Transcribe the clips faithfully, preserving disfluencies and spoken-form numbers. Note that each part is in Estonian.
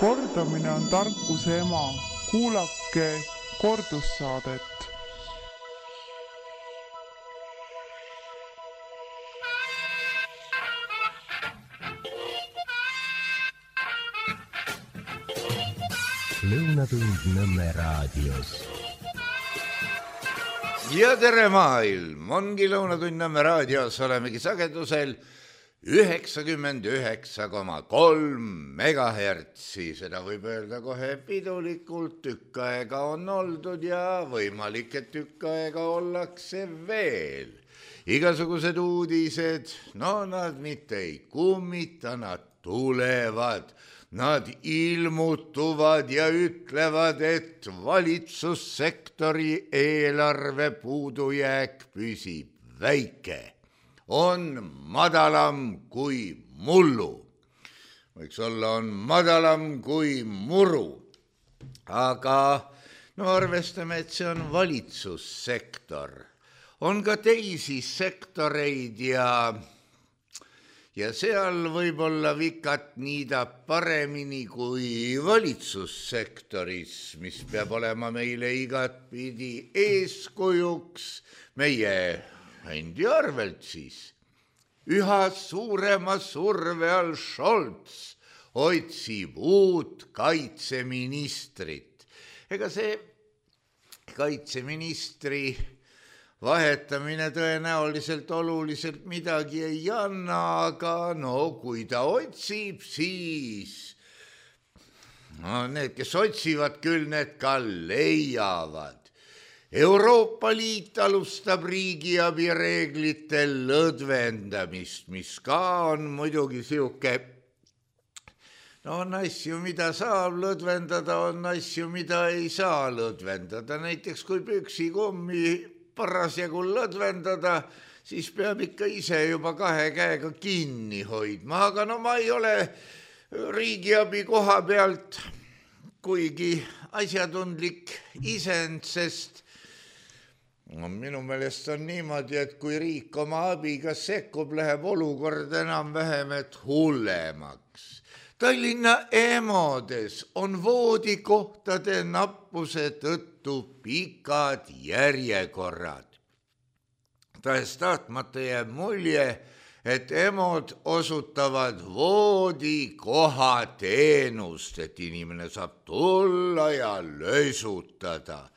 Kordamine on tarkuse ema. Kuulake kordussaadet. Lõunatund Nõmme raadios. Ja tere maailm, ongi Lõunatund Nõmme raadios, olemegi sagedusel üheksakümmend üheksa koma kolm megahertsi, seda võib öelda kohe pidulikult, tükk aega on oldud ja võimalik, et tükk aega ollakse veel. Igasugused uudised, no nad mitte ei kummita, nad tulevad. Nad ilmutuvad ja ütlevad, et valitsussektori eelarve puudujääk püsib väike. On madalam kui mullu. Võiks olla, on madalam kui muru. Aga no arvestame, et see on valitsussektor. On ka teisi sektoreid ja... Ja seal võib-olla vikat niidab paremini kui valitsussektoris, mis peab olema meile igatpidi eeskujuks meie endi arvelt siis. Üha suurema surve all Scholz otsib uut kaitseministrit. Ega see kaitseministri vahetamine tõenäoliselt oluliselt midagi ei anna, aga no kui ta otsib, siis no, need, kes otsivad, küll need ka leiavad. Euroopa Liit alustab riigiabi reeglite lõdvendamist, mis ka on muidugi siuke, no on asju, mida saab lõdvendada, on asju, mida ei saa lõdvendada. Näiteks kui püksikummi parasjagu lõdvendada, siis peab ikka ise juba kahe käega kinni hoidma. Aga no ma ei ole riigiabi koha pealt kuigi asjatundlik isend, sest no, minu meelest on niimoodi, et kui riik oma abiga sekkub, läheb olukord enam vähem, et hullemaks. Tallinna EMOdes on voodikohtade nappuse tõttu pikad järjekorrad. Tahes tahtmata jääb mulje, et EMOd osutavad voodikoha teenust, et inimene saab tulla ja lösutada.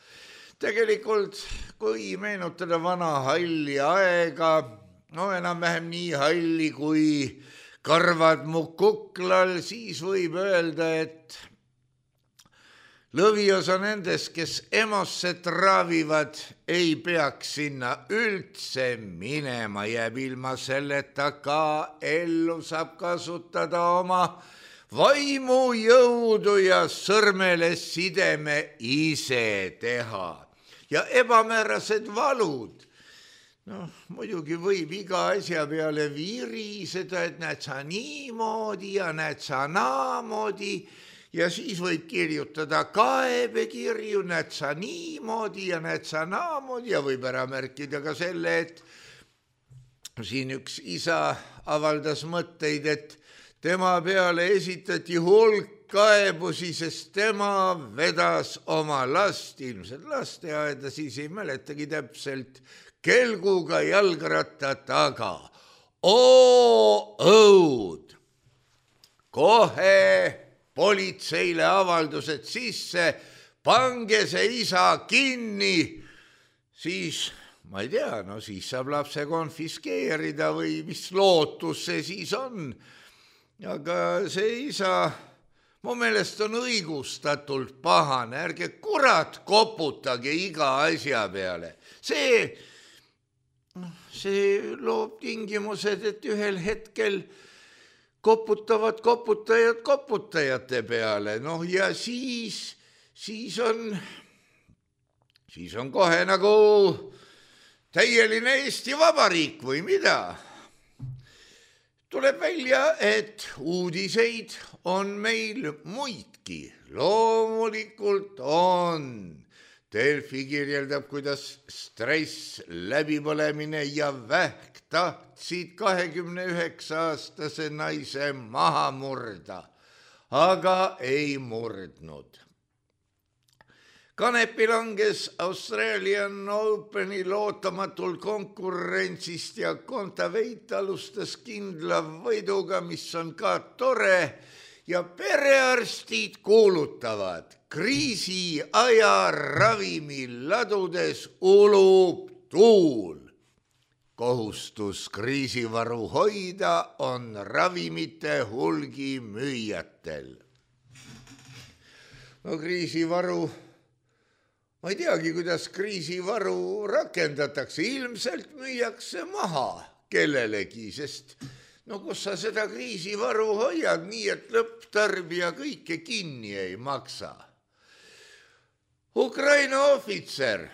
Tegelikult, kui meenutada vana halli aega, no enam-vähem nii halli kui karvad mu kuklal, siis võib öelda, et lõviosa nendest, kes EMOsse traavivad, ei peaks sinna üldse minema, jääb ilma selleta ka ellu, saab kasutada oma vaimujõudu ja sõrmele sideme ise teha. Ja ebamäärased valud. No, muidugi võib iga asja peale viriseda, et näed sa niimoodi ja näed sa naamoodi ja siis võib kirjutada kaebekirju, näed sa niimoodi ja näed sa naamoodi ja võib ära märkida ka selle, et siin üks isa avaldas mõtteid, et tema peale esitati hulk kaebusi, sest tema vedas oma last, ilmselt lasteaeda, siis ei mäletagi täpselt, kelguga jalgratta taga. Oo õud! Kohe politseile avaldused sisse, pange see isa kinni, siis, ma ei tea, no siis saab lapse konfiskeerida või mis lootus see siis on. Aga see isa, mu meelest on õigustatult pahane, ärge kurat koputage iga asja peale. See... See loob tingimused, et ühel hetkel koputavad koputajad koputajate peale. Noh ja siis, siis on, siis on kohe nagu täieline Eesti Vabariik või mida. Tuleb välja, et uudiseid on meil muidki. Loomulikult on. Delfi kirjeldab, kuidas stress, läbipõlemine ja vähk tahtsid kahekümne üheksa aastase naise maha murda. aga ei murdnud. Kanepi langes Australian Openil ootamatul konkurentsist ja Kontaveit alustas kindla võiduga, mis on ka tore, ja perearstid kuulutavad, kriisiaja ravimiladudes ulub tuul. Kohustus kriisivaru hoida on ravimite hulgi müüjatel. No kriisivaru, ma ei teagi, kuidas kriisivaru rakendatakse, ilmselt müüakse maha kellelegi, sest no kus sa seda kriisivaru hoiad nii, et lõpptarbija kõike kinni ei maksa. Ukraina ohvitser,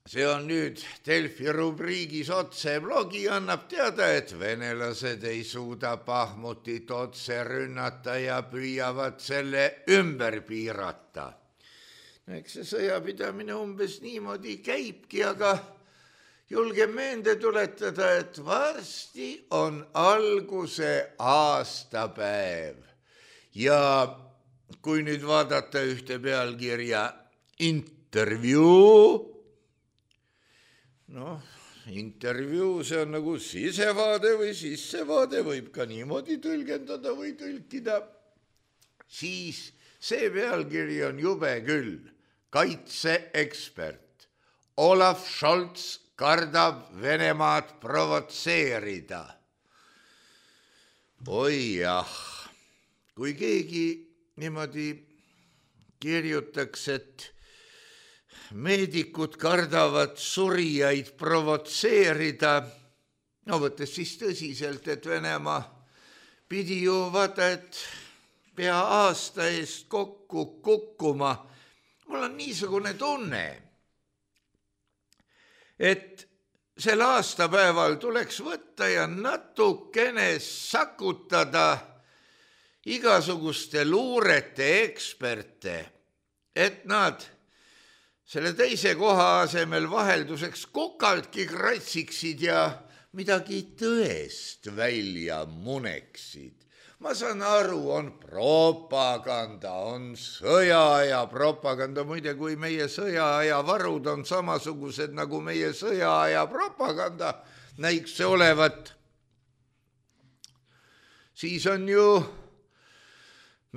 see on nüüd Delfi rubriigis otse blogi, annab teada, et venelased ei suuda Bahmutit otse rünnata ja püüavad selle ümber piirata. Eks see sõjapidamine umbes niimoodi käibki, aga julgen meelde tuletada, et varsti on alguse aastapäev. Ja kui nüüd vaadata ühte pealkirja intervjuu, noh, intervjuu, see on nagu sisevaade või sissevaade, võib ka niimoodi tõlgendada või tõlkida, siis see pealkiri on jube küll. Kaitseekspert Olaf Scholz kardab Venemaad provotseerida. Oi jah, kui keegi niimoodi kirjutaks, et meedikud kardavad surijaid provotseerida, no võttes siis tõsiselt, et Venemaa pidi ju vaata, et pea aasta eest kokku kukkuma. Mul on niisugune tunne, et sel aastapäeval tuleks võtta ja natukene sakutada igasuguste luurete eksperte, et nad selle teise koha asemel vahelduseks kukaltki kratsiksid ja midagi tõest välja muneksid. Ma saan aru, on propaganda, on sõjaaja propaganda. Muide, kui meie sõjaaja varud on samasugused nagu meie sõjaaja propaganda, näiks see olevat, siis on ju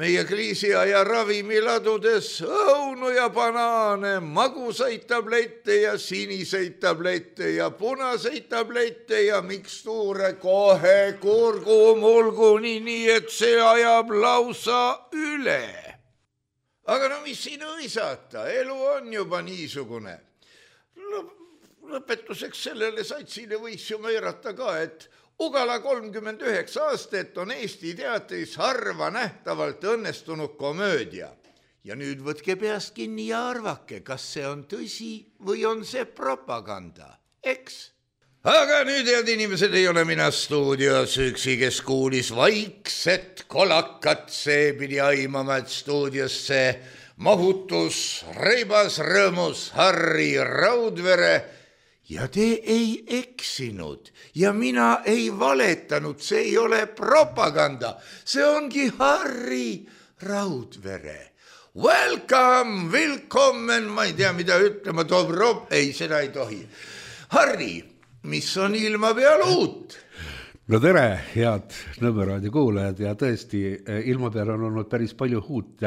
meie kriisiaja ravimiladudes õunu ja banaane, magusaid tablette ja siniseid tablette ja punaseid tablette ja mikstuure kohe kurgumulguni, nii et see ajab lausa üle. Aga no mis siin õisata, elu on juba niisugune. Lõpetuseks sellele satsile võiks ju möörata ka, et Ugala kolmkümmend üheksa aastat on Eesti teatris harva nähtavalt õnnestunud komöödia. Ja nüüd võtke peast kinni ja arvake, kas see on tõsi või on see propaganda, eks? Aga nüüd, head inimesed, ei ole mina stuudios üksi, kes kuulis vaikset kolakat, see pidi aimama, et stuudiosse mahutus, reibas rõõmus Harri Raudvere. Ja te ei eksinud ja mina ei valetanud, see ei ole propaganda, see ongi Harri Raudvere. Welcome, willkommen, ma ei tea, mida ütlema, dobro, ei, seda ei tohi. Harri, mis on ilma peal uut? No tere, head Nõmme kuulajad, ja tõesti, ilma peal on olnud päris palju uut.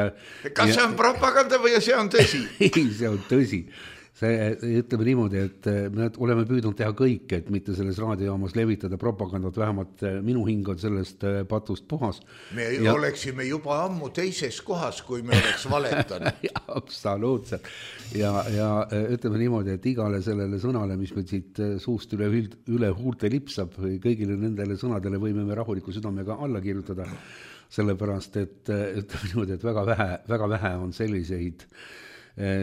Kas see on propaganda või see on tõsi? Ei, see on tõsi. See, ütleme niimoodi, et me oleme püüdnud teha kõik, et mitte selles raadiojaamas levitada propagandat, vähemalt minu hing on sellest patust puhas. Me ja... oleksime juba ammu teises kohas, kui me oleks valetanud. Absoluutselt. Ja, ja ütleme niimoodi, et igale sellele sõnale, mis meil siit suust üle, üle huulte lipsab, kõigile nendele sõnadele võime me rahuliku südamega alla kirjutada, sellepärast, et ütleme niimoodi, et väga vähe, väga vähe on selliseid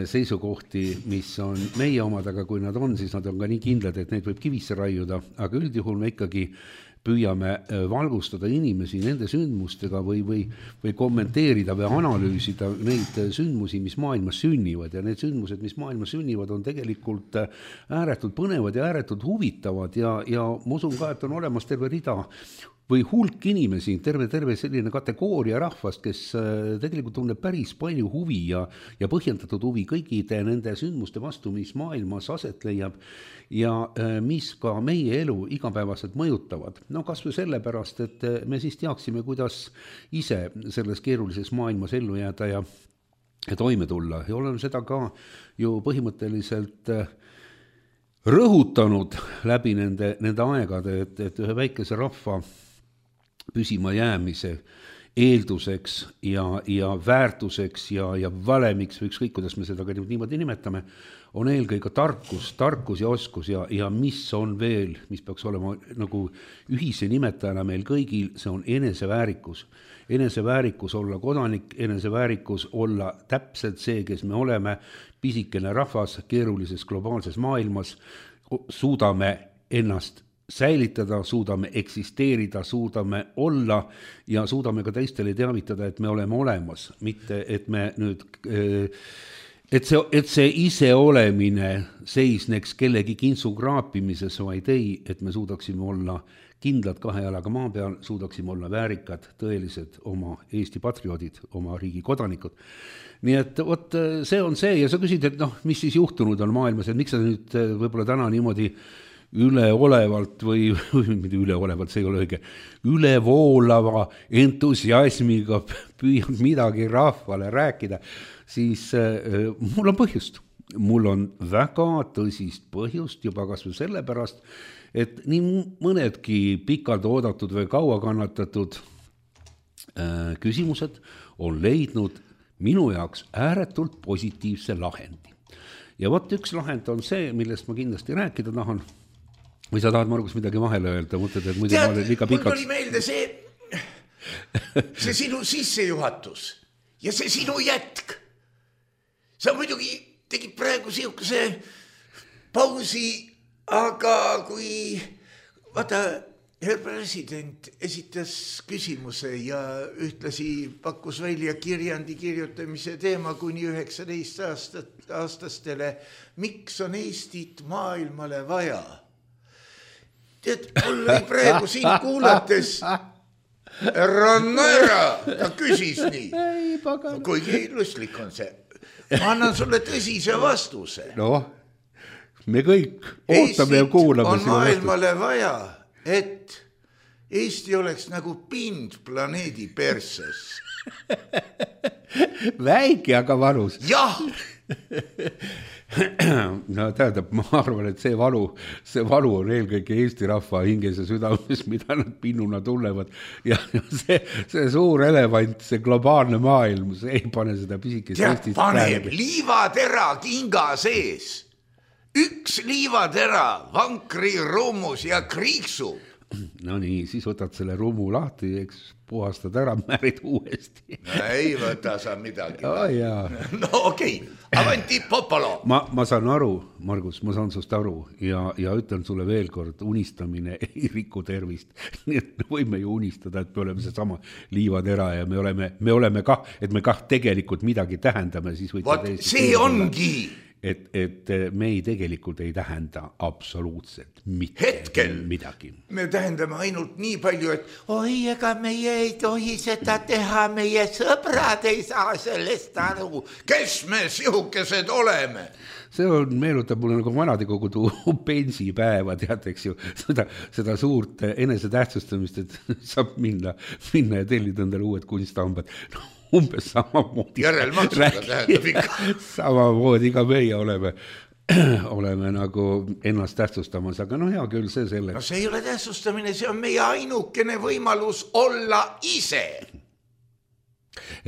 seisukohti, mis on meie omad, aga kui nad on, siis nad on ka nii kindlad, et neid võib kivisse raiuda, aga üldjuhul me ikkagi püüame valgustada inimesi nende sündmustega või, või, või kommenteerida või analüüsida neid sündmusi, mis maailmas sünnivad, ja need sündmused, mis maailmas sünnivad, on tegelikult ääretult põnevad ja ääretult huvitavad ja, ja ma usun ka, et on olemas terve rida või hulk inimesi, terve, terve selline kategooria rahvast, kes tegelikult tunneb päris palju huvi ja, ja põhjendatud huvi kõigide nende sündmuste vastu, mis maailmas aset leiab ja mis ka meie elu igapäevaselt mõjutavad. No kas või sellepärast, et me siis teaksime, kuidas ise selles keerulises maailmas ellu jääda ja, ja toime tulla. Ja olen seda ka ju põhimõtteliselt rõhutanud läbi nende, nende aegade, et, et ühe väikese rahva püsima jäämise eelduseks ja, ja väärtuseks ja, ja valemiks või ükskõik, kuidas me seda ka niimoodi nimetame, on eelkõige tarkus, tarkus ja oskus ja, ja mis on veel, mis peaks olema nagu ühise nimetajana meil kõigil, see on eneseväärikus. Eneseväärikus olla kodanik, eneseväärikus olla täpselt see, kes me oleme, pisikene rahvas keerulises globaalses maailmas, suudame ennast säilitada, suudame eksisteerida, suudame olla ja suudame ka teistele teavitada, et me oleme olemas, mitte et me nüüd, et see, et see ise olemine seisneks kellegi kintsu kraapimises, vaid ei, et me suudaksime olla kindlad kahe jalaga maa peal, suudaksime olla väärikad, tõelised oma Eesti patrioodid, oma riigi kodanikud. Nii et võt, see on see ja sa küsid, et noh, mis siis juhtunud on maailmas, et miks sa nüüd võib-olla täna niimoodi üleolevalt või, või mitte üleolevalt, see ei ole õige, ülevoolava entusiasmiga püüad midagi rahvale rääkida, siis äh, mul on põhjust. Mul on väga tõsist põhjust juba kas või sellepärast, et nii mõnedki pikalt oodatud või kaua kannatatud äh, küsimused on leidnud minu jaoks ääretult positiivse lahendi. Ja võt üks lahend on see, millest ma kindlasti rääkida tahan. Või sa tahad, Margus, midagi vahele öelda? Mõtled, et muidu Tead, ma olen liiga pikaks. Mul tuli meelde see, see sinu sissejuhatus ja see sinu jätk. Sa muidugi tegid praegu siukese pausi, aga kui vaata, herr president esitas küsimuse ja ühtlasi pakkus välja kirjandi kirjutamise teema kuni üheksateist aastat, aastastele, miks on Eestit maailmale vaja? Tead, mul oli praegu siin kuulates Rannera, ta küsis nii, kuigi lustlik on see. Ma annan sulle tõsise vastuse. No, me kõik ootame ja kuulame. Eestit on maailmale vaja, et Eesti oleks nagu pind planeedi perses. Väike, aga valus. Jah! No tähendab, ma arvan, et see valu, see valu on eelkõige Eesti rahva hinges ja südames, mida nad pinnuna tulevad. Ja see, see suur elevant, see globaalne maailm, see ei pane seda pisikest Eestist paneb päev. Liivatera kinga sees. Üks liivatera, vankri rummus ja kriiksu. No nii, siis võtad selle rummu lahti, eks puhastad ära, määrid uuesti. No ei võta sa midagi. Oh, jaa. No okei, okay. Avanti popolo. Ma, ma saan aru, Margus, ma saan sust aru ja, ja ütlen sulle veel kord, unistamine ei riku tervist. Nii et võime ju unistada, et me oleme see sama liivatera ja me oleme, me oleme kah, et me kah tegelikult midagi tähendame. Siis Vot, see ongi. Et, et me ei tegelikult ei tähenda absoluutselt mitte Hetkel midagi. Me tähendame ainult nii palju, et oi, ega meie ei tohi seda teha, meie sõbrad ei saa sellest aru. Kes me sihukesed oleme? See on, meenutab mulle nagu vanadekogudu pensipäeva, tead, eks ju, seda, seda suurt enesetähtsustamist, et saab minna, minna ja tellida endale uued kunstambad. No, umbes samamoodi. Järelmaksuga tähendab ikka. Samamoodi ka meie oleme, oleme nagu ennast tähtsustamas, aga no hea küll, see selleks. No see ei ole tähtsustamine, see on meie ainukene võimalus olla ise.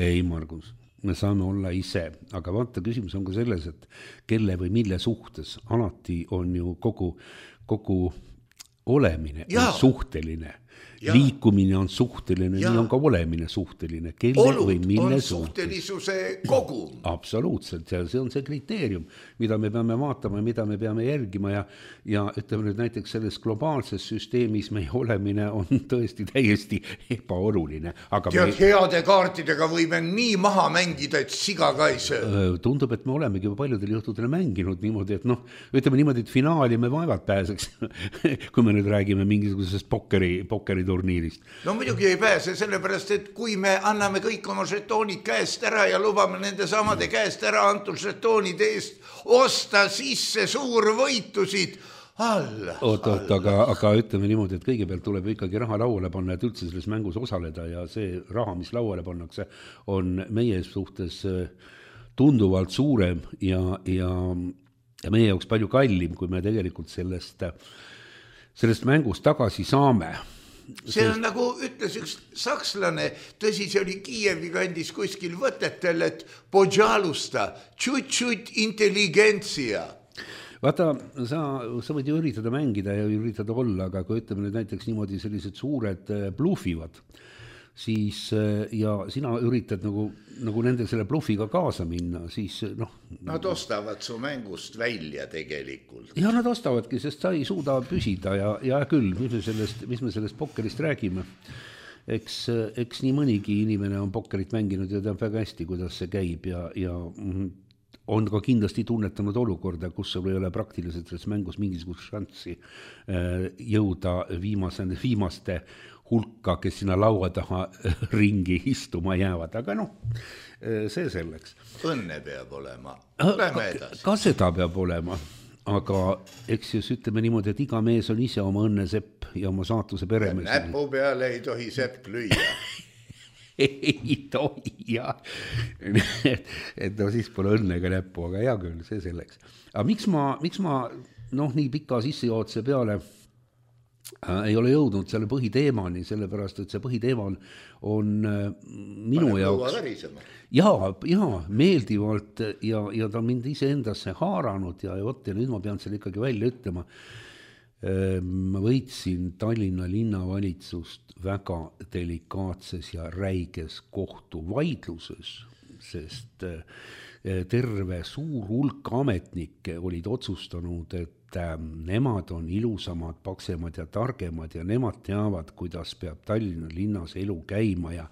Ei, Margus, me saame olla ise, aga vaata, küsimus on ka selles, et kelle või mille suhtes alati on ju kogu, kogu olemine ja. On suhteline. Ja. Liikumine on suhteline, ja. Nii on ka olemine suhteline. Kelle Olud või mille on suhtelisuse kogum. Absoluutselt, ja see on see kriteerium, mida me peame vaatama ja mida me peame järgima ja, ja ütleme nüüd näiteks selles globaalses süsteemis meie olemine on tõesti täiesti ebaoluline. Aga Tead, me... heade kaartidega võime nii maha mängida, et siga ka ei söö. Tundub, et me olemegi paljudel juhtudel mänginud niimoodi, et noh, ütleme niimoodi, et finaali me vaevad pääseks, kui me nüüd räägime mingisugusest pokkeri, pokkeri turniirist. No muidugi ei pääse, sellepärast, et kui me anname kõik oma žetoonid käest ära ja lubame nende samade käest ära antud žetoonide eest osta sisse suurvõitusid alla. Oot, oot, aga, aga ütleme niimoodi, et kõigepealt tuleb ikkagi raha lauale panna, et üldse selles mängus osaleda ja see raha, mis lauale pannakse, on meie suhtes tunduvalt suurem ja, ja, ja meie jaoks palju kallim, kui me tegelikult sellest, sellest mängust tagasi saame. See on nagu ütles üks sakslane, tõsi, see oli Kiievi kandis kuskil võtetel, et podžalusta, tšut-tšut intelligentsia. Vaata, sa, sa võid ju üritada mängida ja üritada olla, aga kui ütleme nüüd näiteks niimoodi sellised suured blufivad, siis ja sina üritad nagu, nagu nende selle blufiga kaasa minna, siis noh... Nad ostavad su mängust välja tegelikult. Ja nad ostavadki, sest sa ei suuda püsida ja, ja küll, mis me sellest, mis me sellest pokkerist räägime. Eks, eks nii mõnigi inimene on pokkerit mänginud ja teab väga hästi, kuidas see käib ja, ja on ka kindlasti tunnetanud olukorda, kus sul ei ole praktiliselt selles mängus mingisugust šanssi jõuda viimase, viimaste hulka, kes sinna laua taha ringi istuma jäävad, aga noh, see selleks. Õnne peab olema. Lähme edasi. Ka seda peab olema, aga eks just ütleme niimoodi, et iga mees on ise oma õnne sepp ja oma saatuse peremees. Näpu peale ei tohi sepp lüüa. ei tohi, jah. et, et no siis pole õnnega näppu, aga hea küll, see selleks. Aga miks ma, miks ma noh, nii pika sissejootse peale äh, ei ole jõudnud selle põhiteemani, sellepärast, et see põhiteema on, on äh, minu Pane jaoks jaa, jaa, meeldivalt ja, ja ta on mind ise endasse haaranud ja, ja, võt, ja nüüd ma pean selle ikkagi välja ütlema. Ma võitsin Tallinna linnavalitsust väga delikaatses ja räiges kohtuvaidluses, sest terve suur hulk ametnikke olid otsustanud, et nemad on ilusamad, paksemad ja targemad ja nemad teavad, kuidas peab Tallinna linnas elu käima ja,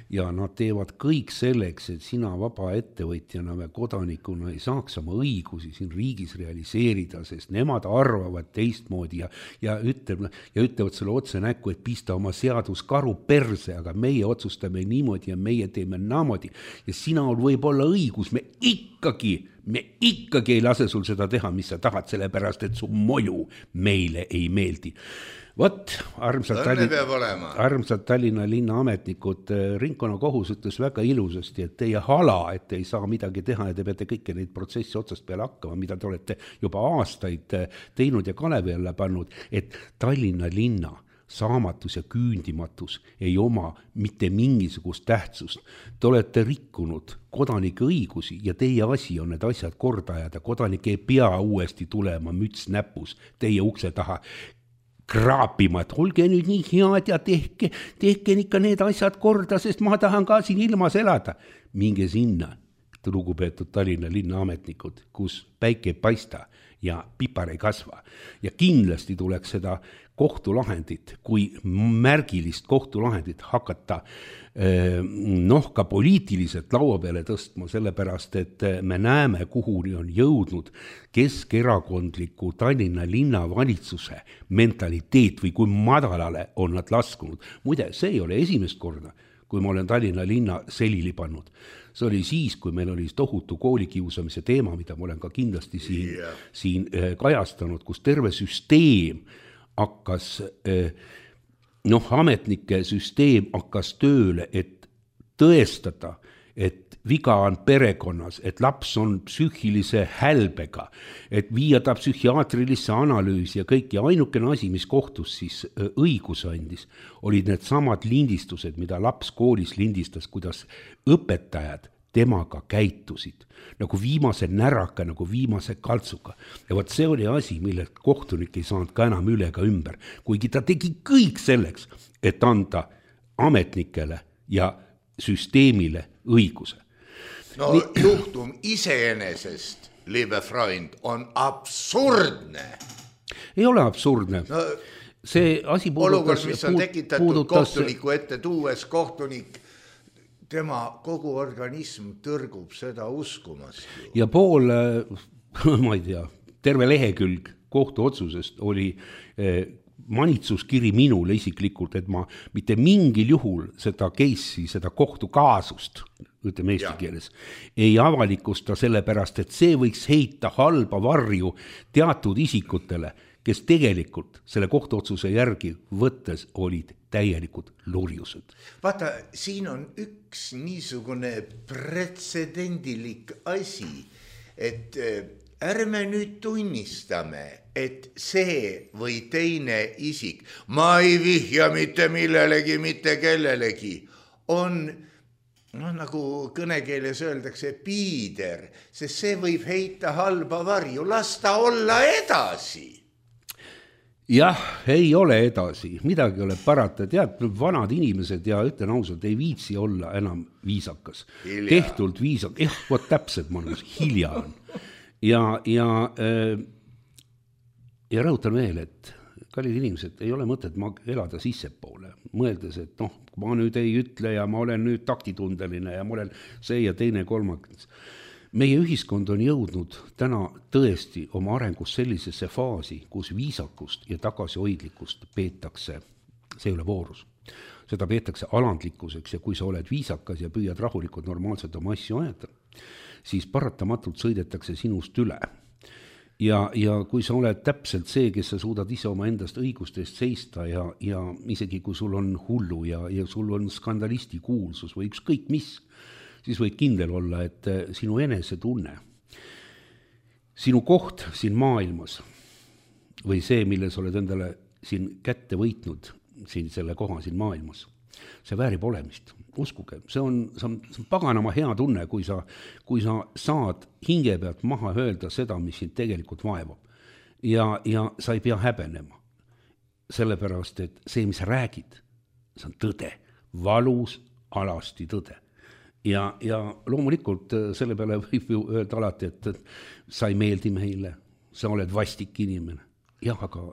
ja nad teevad kõik selleks, et sina vaba ettevõtjana või kodanikuna ei saaks oma õigusi siin riigis realiseerida, sest nemad arvavad teistmoodi ja, ja, ütleb, ja ütlevad sulle otse näkku, et pista oma seadus karu perse, aga meie otsustame niimoodi ja meie teeme naamodi ja sina on võib-olla õigus, me ikkagi me ikkagi ei lase sul seda teha, mis sa tahad, sellepärast, et su moju meile ei meeldi. Vot, armsad Tallinna, armsad Tallinna linna ametnikud, ringkonna kohus ütles väga ilusasti, et teie hala, et ei saa midagi teha ja te peate kõike neid protsessi otsast peale hakkama, mida te olete juba aastaid teinud ja kalevi alla pannud, et Tallinna linna saamatus ja küündimatus ei oma mitte mingisugust tähtsust. Te olete rikkunud kodanike õigusi ja teie asi on need asjad korda ajada. Kodanik ei pea uuesti tulema müts näpus teie ukse taha kraapima, et olge nüüd nii head ja tehke, tehke ikka need asjad korda, sest ma tahan ka siin ilmas elada. Minge sinna, lugupeetud Tallinna linna ametnikud, kus päike ei paista ja pipar ei kasva. Ja kindlasti tuleks seda kohtulahendit, kui märgilist kohtulahendit hakata noh, ka poliitiliselt laua peale tõstma, sellepärast, et me näeme, kuhuni on jõudnud keskerakondliku Tallinna linnavalitsuse mentaliteet või kui madalale on nad laskunud. Muide, see ei ole esimest korda, kui ma olen Tallinna linna selili pannud. See oli siis, kui meil oli tohutu koolikiusamise teema, mida ma olen ka kindlasti siin, yeah. siin kajastanud, kus terve süsteem hakkas, noh, ametnike süsteem hakkas tööle, et tõestada, et viga on perekonnas, et laps on psüühilise hälbega, et viia ta psühhiaatrilisse analüüsi ja kõik. Ja ainukene asi, mis kohtus siis õigus andis, olid need samad lindistused, mida laps koolis lindistas, kuidas õpetajad temaga käitusid, nagu viimase näraka, nagu viimase kaltsuga. Ja võt see oli asi, millelt kohtunik ei saanud ka enam üle ega ümber, kuigi ta tegi kõik selleks, et anda ametnikele ja süsteemile õiguse. No Nii... juhtum iseenesest, liebe Freund, on absurdne. Ei ole absurdne. No, see asi puudutas... Olukord, mis on tekitatud puudutas... kohtuniku ette tuues, kohtunik tema kogu organism tõrgub seda uskumast. Ja pool, ma ei tea, terve lehekülg kohtuotsusest oli manitsuskiri minule isiklikult, et ma mitte mingil juhul seda case'i, seda kohtukaasust, ütleme eesti keeles, ei avalikusta sellepärast, et see võiks heita halba varju teatud isikutele, kes tegelikult selle kohtuotsuse järgi võttes olid täielikud lurjused. Vaata, siin on üks niisugune pretsedendilik asi, et ärme nüüd tunnistame, et see või teine isik, ma ei vihja mitte millelegi, mitte kellelegi, on, noh, nagu kõnekeeles öeldakse, piider, sest see võib heita halba varju, las ta olla edasi. Jah, ei ole edasi, midagi ole parata, tead, vanad inimesed ja ütlen ausalt, ei viitsi olla enam viisakas. Hilja. Tehtult viisakas, jah, vot täpselt manus, hilja on. Ja, ja, ja rõhutan veel, et kallid inimesed, ei ole mõtet elada sissepoole, mõeldes, et noh, ma nüüd ei ütle ja ma olen nüüd taktitundeline ja ma olen see ja teine kolmakas. Meie ühiskond on jõudnud täna tõesti oma arengus sellisesse faasi, kus viisakust ja tagasihoidlikkust peetakse, see ei ole voorus, seda peetakse alandlikkuseks ja kui sa oled viisakas ja püüad rahulikult normaalselt oma asju ajada, siis paratamatult sõidetakse sinust üle. Ja, ja kui sa oled täpselt see, kes sa suudad ise oma endast õigustest seista ja, ja isegi kui sul on hullu ja, ja sul on skandalisti kuulsus või ükskõik mis, siis võid kindel olla, et sinu enesetunne, sinu koht siin maailmas või see, mille sa oled endale siin kätte võitnud, siin selle koha siin maailmas, see väärib olemist. Uskuge, see on, see on, see on paganama hea tunne, kui sa, kui sa saad hinge pealt maha öelda seda, mis sind tegelikult vaevab. Ja, ja sa ei pea häbenema. Sellepärast, et see, mis sa räägid, see on tõde, valus alasti tõde. Ja, ja loomulikult selle peale võib ju öelda alati, et sa ei meeldi meile, sa oled vastik inimene. Jah, aga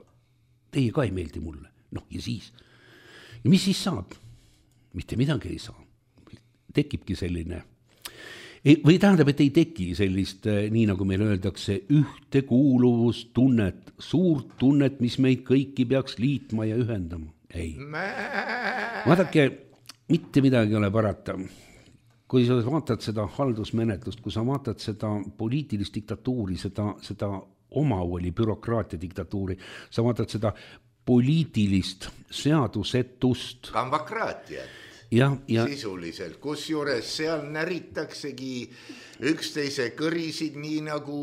teie ka ei meeldi mulle. Noh, ja siis. Ja mis siis saab? Mitte midagi ei saa. Tekibki selline. Või tähendab, et ei teki sellist, nii nagu meil öeldakse, ühtekuuluvustunnet, suurt tunnet, mis meid kõiki peaks liitma ja ühendama. Ei. Vaadake, mitte midagi ei ole parata. Kui sa vaatad seda haldusmenetlust, kui sa vaatad seda poliitilist diktatuuri, seda, seda omavoli bürokraatia diktatuuri, sa vaatad seda poliitilist seadusetust. Kambakraatiat. Ja, ja, sisuliselt, kus juures seal näritaksegi üksteise kõrisid, nii nagu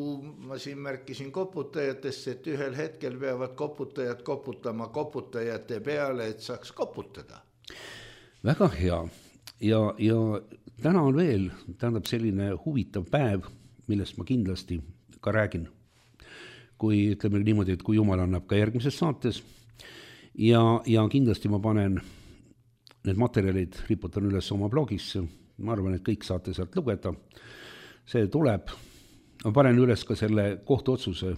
ma siin märkisin koputajatest, et ühel hetkel peavad koputajad koputama koputajate peale, et saaks koputada. Väga hea. Ja, ja täna on veel, tähendab selline huvitav päev, millest ma kindlasti ka räägin, kui ütleme niimoodi, et kui Jumal annab ka järgmises saates ja, ja kindlasti ma panen need materjalid, riputan üles oma blogisse, ma arvan, et kõik saate sealt lugeda, see tuleb, ma panen üles ka selle kohtuotsuse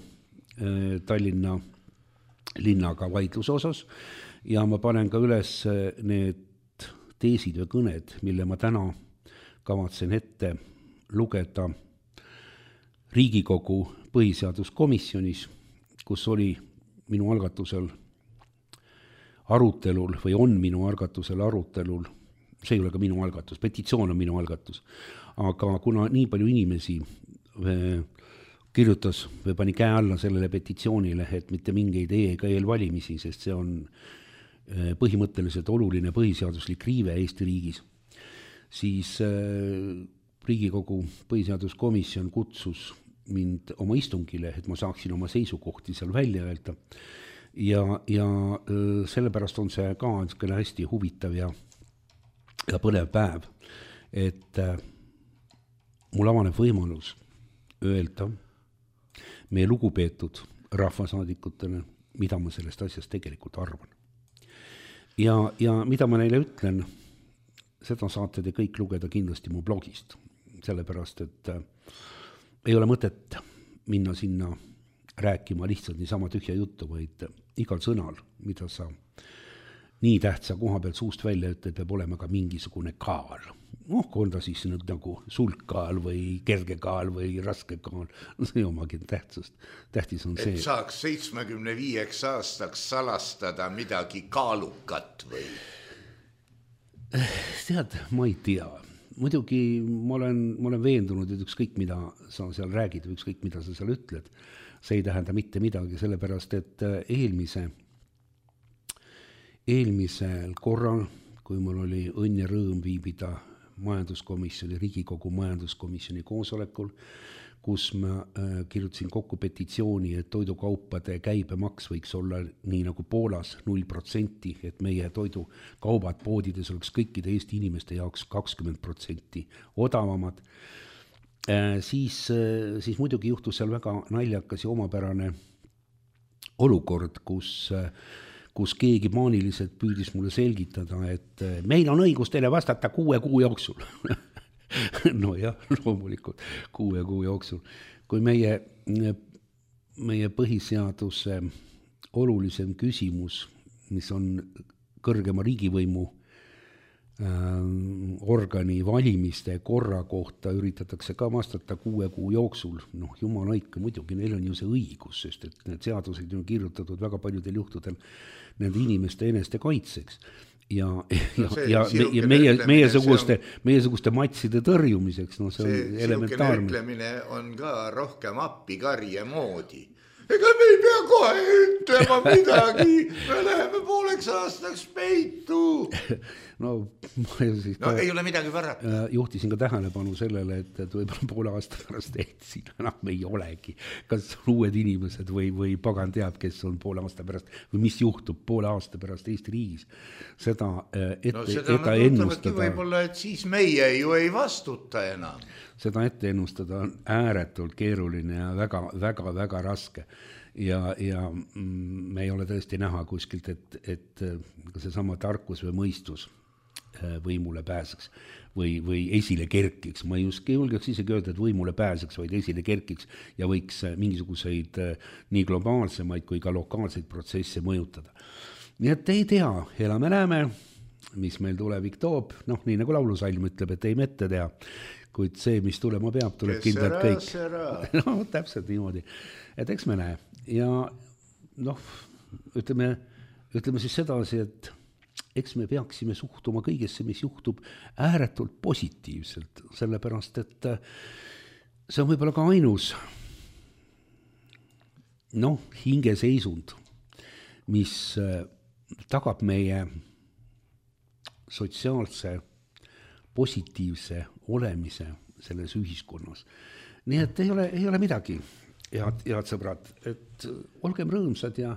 Tallinna linnaga vaidluse osas ja ma panen ka üles need teesid või kõned, mille ma täna kavatsen ette lugeda Riigikogu põhiseaduskomisjonis, kus oli minu algatusel arutelul või on minu algatusel arutelul, see ei ole ka minu algatus, petitsioon on minu algatus, aga kuna nii palju inimesi kirjutas või pani käe alla sellele petitsioonile, et mitte mingeid ega eelvalimisi, sest see on põhimõtteliselt oluline põhiseaduslik riive Eesti riigis, siis Riigikogu põhiseaduskomisjon kutsus mind oma istungile, et ma saaksin oma seisukohti seal välja öelda. Ja, ja sellepärast on see ka hästi huvitav ja, ja põnev päev, et mul avaneb võimalus öelda meie lugupeetud rahvasaadikutele, mida ma sellest asjast tegelikult arvan. Ja, ja mida ma neile ütlen, seda saate te kõik lugeda kindlasti mu blogist, sellepärast, et ei ole mõtet minna sinna rääkima lihtsalt niisama tühja juttu, vaid igal sõnal, mida sa nii tähtsa koha pealt suust välja ütled, peab olema ka mingisugune kaal. noh, on ta siis nüüd nagu sulkkaal või kergekaal või raskekaal, no see omagi tähtsust. Tähtis on see. Et saaks seitsmekümne viieks aastaks salastada midagi kaalukat või? Tead, ma ei tea. Muidugi ma olen, ma olen veendunud, et ükskõik mida sa seal räägid või ükskõik mida sa seal ütled, see ei tähenda mitte midagi, sellepärast et eelmise, eelmisel korral, kui mul oli õnn ja rõõm viibida majanduskomisjoni, Riigikogu majanduskomisjoni koosolekul, kus ma äh, kirjutasin kokku petitsiooni, et toidukaupade käibemaks võiks olla nii nagu Poolas null protsenti, et meie toidukaubad poodides oleks kõikide Eesti inimeste jaoks kakskümmend protsenti odavamad. Äh, siis, äh, siis muidugi juhtus seal väga naljakas ja omapärane olukord, kus äh, kus keegi maaniliselt püüdis mulle selgitada, et meil on õigus teile vastata kuue kuu jooksul. No jah, loomulikult kuue kuu jooksul. Kui meie, meie põhiseaduse olulisem küsimus, mis on kõrgema riigivõimu organi valimiste korra kohta üritatakse ka vastata kuue kuu jooksul, noh jumal hoidku, muidugi neil on ju see õigus, sest et need seadused on kirjutatud väga paljudel juhtudel nende inimeste eneste kaitseks ja, ja, no ja, ja, ja meie, meie suguste, on, meie suguste matside tõrjumiseks, no see, see on elementaarne. See ütlemine on ka rohkem appikarje moodi. Ega me ei pea kohe ütlema midagi, me läheme pooleks aastaks peitu. No, ma siis no ka, ei ole midagi parata. Juhtisin ka tähelepanu sellele, et, et võib-olla poole aasta pärast et siin enam ei olegi. Kas on uued inimesed või, või pagan teab, kes on poole aasta pärast või mis juhtub poole aasta pärast Eesti riigis. Seda ette, no, seda ette ennustada. Võib-olla, et siis meie ju ei vastuta enam. Seda ette ennustada on ääretult keeruline ja väga, väga, väga raske. Ja, ja me ei ole tõesti näha kuskilt, et, et see sama tarkus või mõistus võimule pääseks või, või esile kerkiks. Ma just julgeks isegi öelda, et võimule pääseks, vaid esile kerkiks ja võiks mingisuguseid nii globaalsemaid kui ka lokaalseid protsesse mõjutada. Nii et ei tea, elame näeme, mis meil tulevik toob. Noh, nii nagu laulusalm ütleb, et ei mette tea, kuid see, mis tulema peab, tuleb kindlalt kõik. No, täpselt niimoodi. Et eks me näe. Ja noh, ütleme, ütleme siis sedasi, et eks me peaksime suhtuma kõigesse, mis juhtub ääretult positiivselt, sellepärast, et see on võib-olla ka ainus noh, hingeseisund, mis tagab meie sotsiaalse positiivse olemise selles ühiskonnas. Nii et ei ole, ei ole midagi, head, head sõbrad, et olgem rõõmsad ja,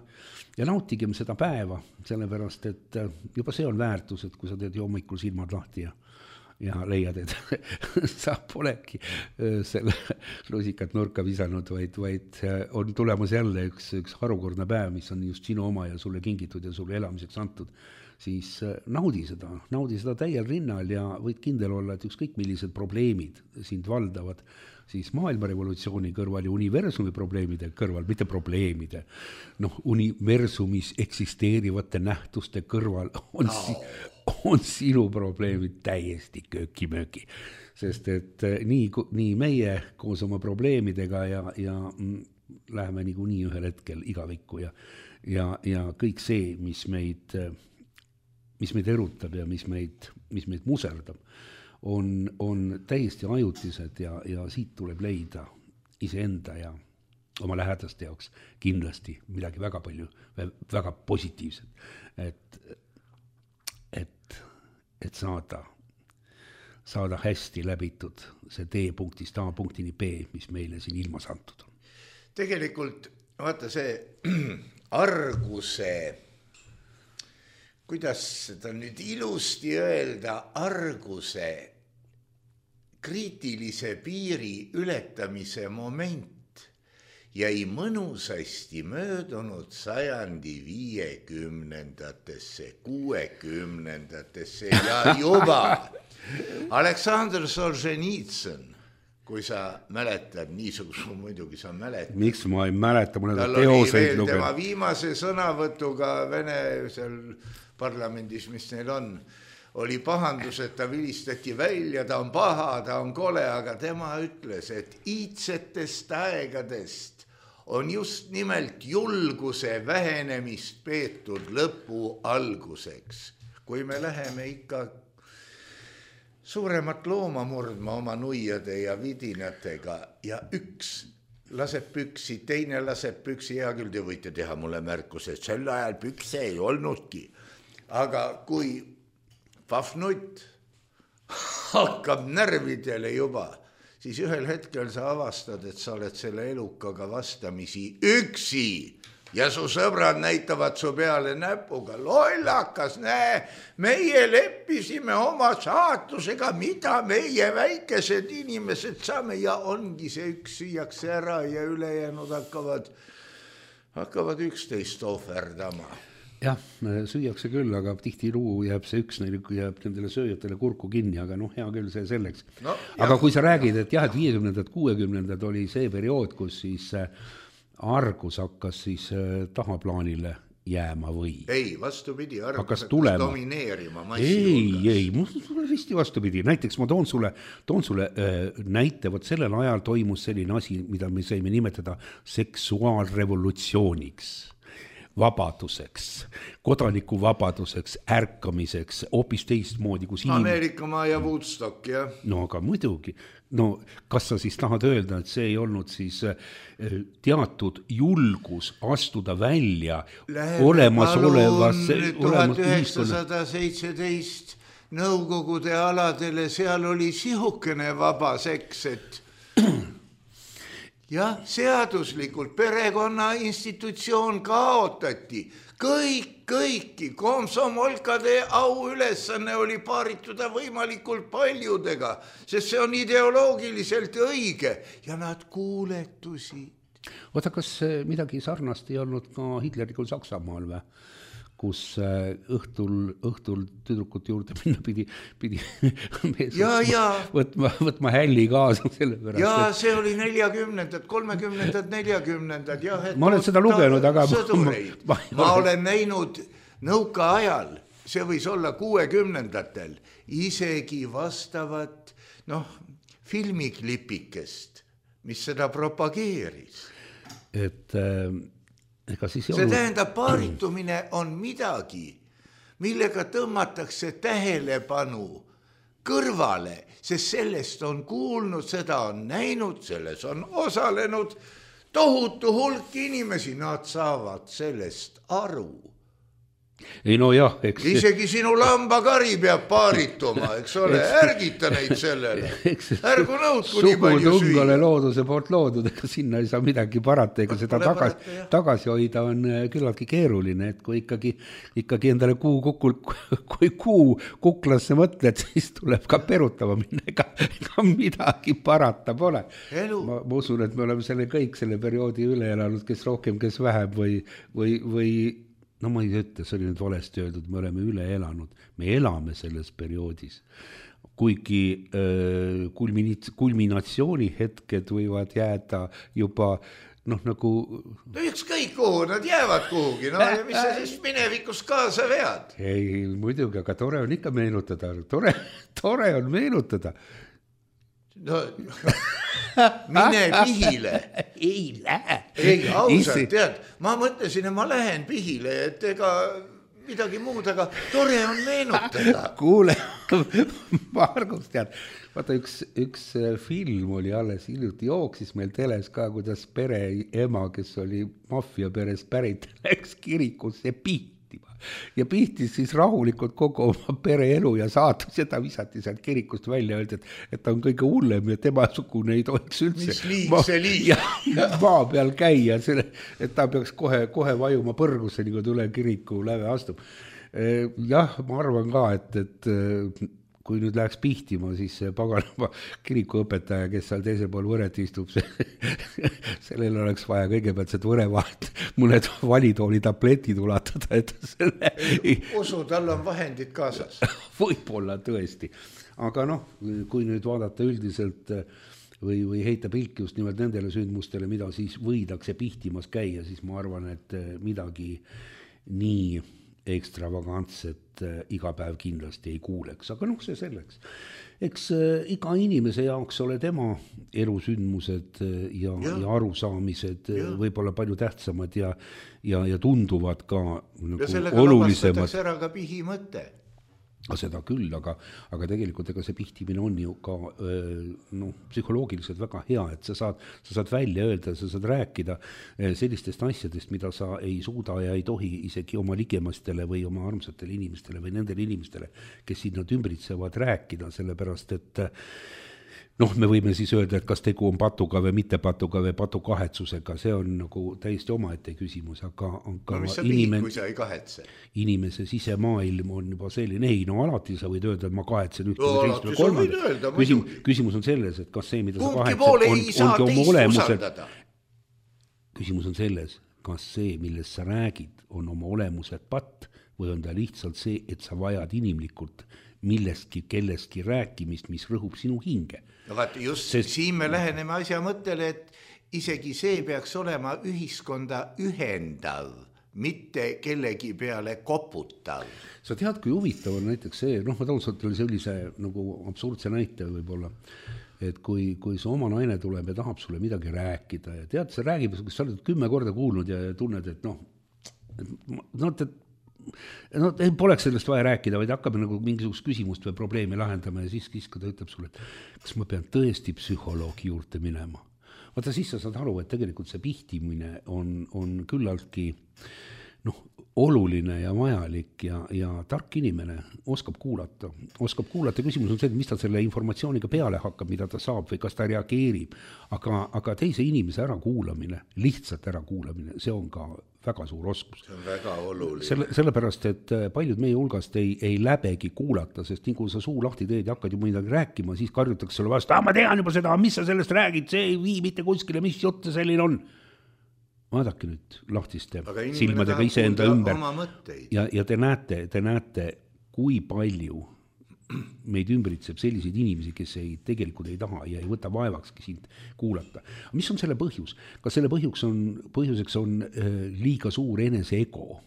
ja nautigem seda päeva, sellepärast, et juba see on väärtus, et kui sa teed hommikul silmad lahti ja, ja leiad, et sa polegi selle lusikat nurka visanud, vaid, vaid on tulemas jälle üks, üks harukordne päev, mis on just sinu oma ja sulle kingitud ja sulle elamiseks antud, siis naudi seda, naudi seda täiel rinnal ja võid kindel olla, et ükskõik millised probleemid sind valdavad, siis maailmarevolutsiooni kõrval ja universumi probleemide kõrval, mitte probleemide, noh, universumis eksisteerivate nähtuste kõrval on, no. si, on sinu probleemid täiesti kööki-mööki. Sest et nii, nii meie koos oma probleemidega ja, ja läheme nagu nii ühel hetkel igavikku ja, ja, ja kõik see, mis meid mis meid erutab ja mis meid, mis meid muserdab, on, on täiesti ajutised ja, ja siit tuleb leida iseenda ja oma lähedaste jaoks kindlasti midagi väga palju, väga positiivset, et, et, et saada, saada hästi läbitud see D-punktist A-punktini B, mis meile siin ilmas antud on. Tegelikult, vaata see arguse kuidas seda nüüd ilusti öelda, arguse kriitilise piiri ületamise moment jäi mõnusasti möödunud sajandi viiekümnendatesse, kuuekümnendatesse ja juba Aleksandr Solženitsõn, kui sa mäletad, niisuguse muidugi sa mäletad. Miks ma ei mäleta, mul on teoseid lugenud. Tema viimase sõnavõtuga Vene seal parlamendis, mis neil on, oli pahandus, et ta vilistati välja, ta on paha, ta on kole, aga tema ütles, et iidsetest aegadest on just nimelt julguse vähenemist peetud lõpu alguseks. Kui me läheme ikka suuremat looma murdma oma nuiade ja vidinatega ja üks laseb püksi, teine laseb püksi, hea küll, te võite teha mulle märkuse, et sel ajal pükse ei olnudki. Aga kui pahvnutt hakkab närvidele juba, siis ühel hetkel sa avastad, et sa oled selle elukaga vastamisi üksi ja su sõbrad näitavad su peale näpuga. Lollakas, näe, meie leppisime oma saatusega, mida meie väikesed inimesed saame ja ongi see üks süüakse ära ja ülejäänud hakkavad, hakkavad üksteist ohverdama. Jah, süüakse küll, aga tihti luu jääb see üks, jääb nendele sööjatele kurku kinni, aga noh, hea küll see selleks. No, aga jah. Kui sa räägid, et jah, et viiekümnendad, kuuekümnendad oli see periood, kus siis argus hakkas siis tahaplaanile jääma või? Ei, vastupidi, argus hakkas tulema. Domineerima massi hulgas. Ei, ei, mul risti vastupidi. Näiteks ma toon sulle, toon sulle äh, näite, vot sellel ajal toimus selline asi, mida me saime nimetada seksuaalrevolutsiooniks, vabaduseks, kodanikuvabaduseks, ärkamiseks, hoopis teistmoodi. Kus Ameerika maa ja Woodstock, jah. No aga muidugi. No kas sa siis tahad öelda, et see ei olnud siis teatud julgus astuda välja olemasolevasse tuhat üheksasada seitseteist Nõukogude aladele, seal oli sihukene vaba seks, et jah, seaduslikult perekonna institutsioon kaotati. Kõik, kõiki, komsomolkade au ülesanne oli paarituda võimalikult paljudega, sest see on ideoloogiliselt õige ja nad kuuletusid. Oota, kas midagi sarnast ei olnud ka Hitlerikul Saksamaal või? Kus õhtul, õhtul tüdrukut juurde minna pidi, pidi ja, ja. Võtma, võtma hälli kaasa selle pärast. Ja et... see oli neljakümnendad, kolmekümnendad, neljakümnendad. Ja, ma olen seda lugenud, aga... Ma, ma, ma olen näinud nõuka ajal, see võis olla kuuekümnendatel, isegi vastavat noh, filmiklipikest, mis seda propageeris. Et... Äh... see olnud... tähendab, paaritumine on midagi, millega tõmmatakse tähelepanu kõrvale, sest sellest on kuulnud, seda on näinud, selles on osalenud tohutu hulk inimesi, nad saavad sellest aru. Ei no jah, eks... Isegi sinu lambakari peab paarituma, eks ole, ärgita neid sellele. Ärgu nõudku nii palju süüa. Sugutungale looduse poolt loodud, ega sinna ei saa midagi parata, ega seda tagasi, parata, tagasi hoida on küllaltki keeruline, et kui ikkagi, ikkagi endale kuu, kukul, kui kuu kuklasse mõtled, siis tuleb ka perutama minna, ega, ega midagi parata pole. Ma, ma usun, et me oleme selle kõik selle perioodi üle elanud, kes rohkem, kes vähem või, või, või no ma ei ütle, see oli nüüd valesti öeldud, me oleme üle elanud, me elame selles perioodis, kuigi äh, kulmini- kulminatsiooni hetked võivad jääda juba noh nagu... No ükskõik kuhu, nad jäävad kuhugi, no ja mis sa siis minevikus kaasa vead? Ei, muidugi, aga tore on ikka meenutada, tore, tore on meenutada. No, mine pihile. Ei lähe. Ei, ausalt, tead, ma mõtlesin, et ma lähen pihile, et ega midagi muud, aga tore on meenutada. Kuule, Margus, tead, vaata üks, üks film oli alles hiljuti jooksis meil teles ka, kuidas pere ema, kes oli maffia peres pärit, läks kirikusse pihtima. Ja pihtis siis rahulikult kogu oma pere elu ja saatus ja ta visati sealt kirikust välja öeldi, et, et ta on kõige hullem ja tema sugune ei tohiks üldse mis liig see liig ja, maa peal käia, selle, et ta peaks kohe, kohe vajuma põrgusse, nii kui tule kiriku läve astub. Jah, ma arvan ka, et, et kui nüüd läheks pihtima, siis see paganama kirikuõpetaja, kes seal teisel pool võret istub, sellel oleks vaja kõigepealt see võrevahet, mõned valitooli tabletid ulatada, et selle... Usu, tal on vahendid kaasas. Võib-olla tõesti. Aga noh, kui nüüd vaadata üldiselt või, või heita pilk just nimelt nendele sündmustele, mida siis võidakse pihtimas käia, siis ma arvan, et midagi nii ekstravagantset äh, iga päev kindlasti ei kuuleks, aga noh, see selleks. Eks äh, iga inimese jaoks ole tema elusündmused ja, ja. ja arusaamised ja. Võib-olla palju tähtsamad ja, ja, ja tunduvad ka nagu ja sellega olulisemad. Ära ka pihimõte. Seda küll, aga, aga tegelikult ega see pihtimine on ju ka no, psühholoogiliselt väga hea, et sa saad, sa saad välja öelda, sa saad rääkida sellistest asjadest, mida sa ei suuda ja ei tohi isegi oma ligemastele või oma armsatele inimestele või nendele inimestele, kes siin nad ümbritsevad rääkida, sellepärast et noh, me võime siis öelda, et kas tegu on patuga või mitte patuga või patu kahetsusega, see on nagu täiesti omaette küsimus, aga, aga no, mis sa inimen... pihid, kui sa ei kahetse? Inimese sisemaailm on juba selline, ei, no alati sa võid öelda, et ma kahetsen ühte no, või teist või kolmandat. Küsim, küsimus on selles, et kas see, mida Kumki sa kahetsed, on, ongi oma olemuselt. Küsimus on selles, kas see, millest sa räägid, on oma olemuselt patt või on ta lihtsalt see, et sa vajad inimlikult millestki, kellestki rääkimist, mis rõhub sinu hinge. No vaat just Sest... siin me läheneme asja mõttele, et isegi see peaks olema ühiskonda ühendav, mitte kellegi peale koputav. Sa tead, kui huvitav on näiteks see, noh, ma tõusalt oli sellise nagu absurdse näite võib-olla, et kui, kui su oma naine tuleb ja tahab sulle midagi rääkida ja tead, sa räägib, kas sa oled kümme korda kuulnud ja tunned, et noh, et, no, et no ei poleks sellest vaja rääkida, vaid hakkab nagu mingisugust küsimust või probleemi lahendama ja siis, siis kui ta ütleb sulle, et kas ma pean tõesti psühholoogi juurde minema. Vaata, siis sa saad aru, et tegelikult see pihtimine on, on küllaltki noh, oluline ja vajalik ja, ja tark inimene oskab kuulata. Oskab kuulata, küsimus on see, et mis ta selle informatsiooniga peale hakkab, mida ta saab või kas ta reageerib. Aga, aga teise inimese ära kuulamine, lihtsalt ära kuulamine, see on ka väga suur oskus. See on väga oluline. Selle, sellepärast, et paljud meie hulgast ei, ei läbegi kuulata, sest nii kui sa suu lahti teed ja hakkad ju midagi rääkima, siis karjutakse sulle vastu, ah, ma tean juba seda, mis sa sellest räägid, see ei vii mitte kuskile, mis jutt selline on. Vaadake nüüd lahtiste silmadega iseenda ümber ja, ja te näete, te näete, kui palju meid ümbritseb selliseid inimesi, kes ei, tegelikult ei taha ja ei võta vaevakski sind kuulata. Mis on selle põhjus? Kas selle põhjus on, põhjuseks on liiga suur enese ego?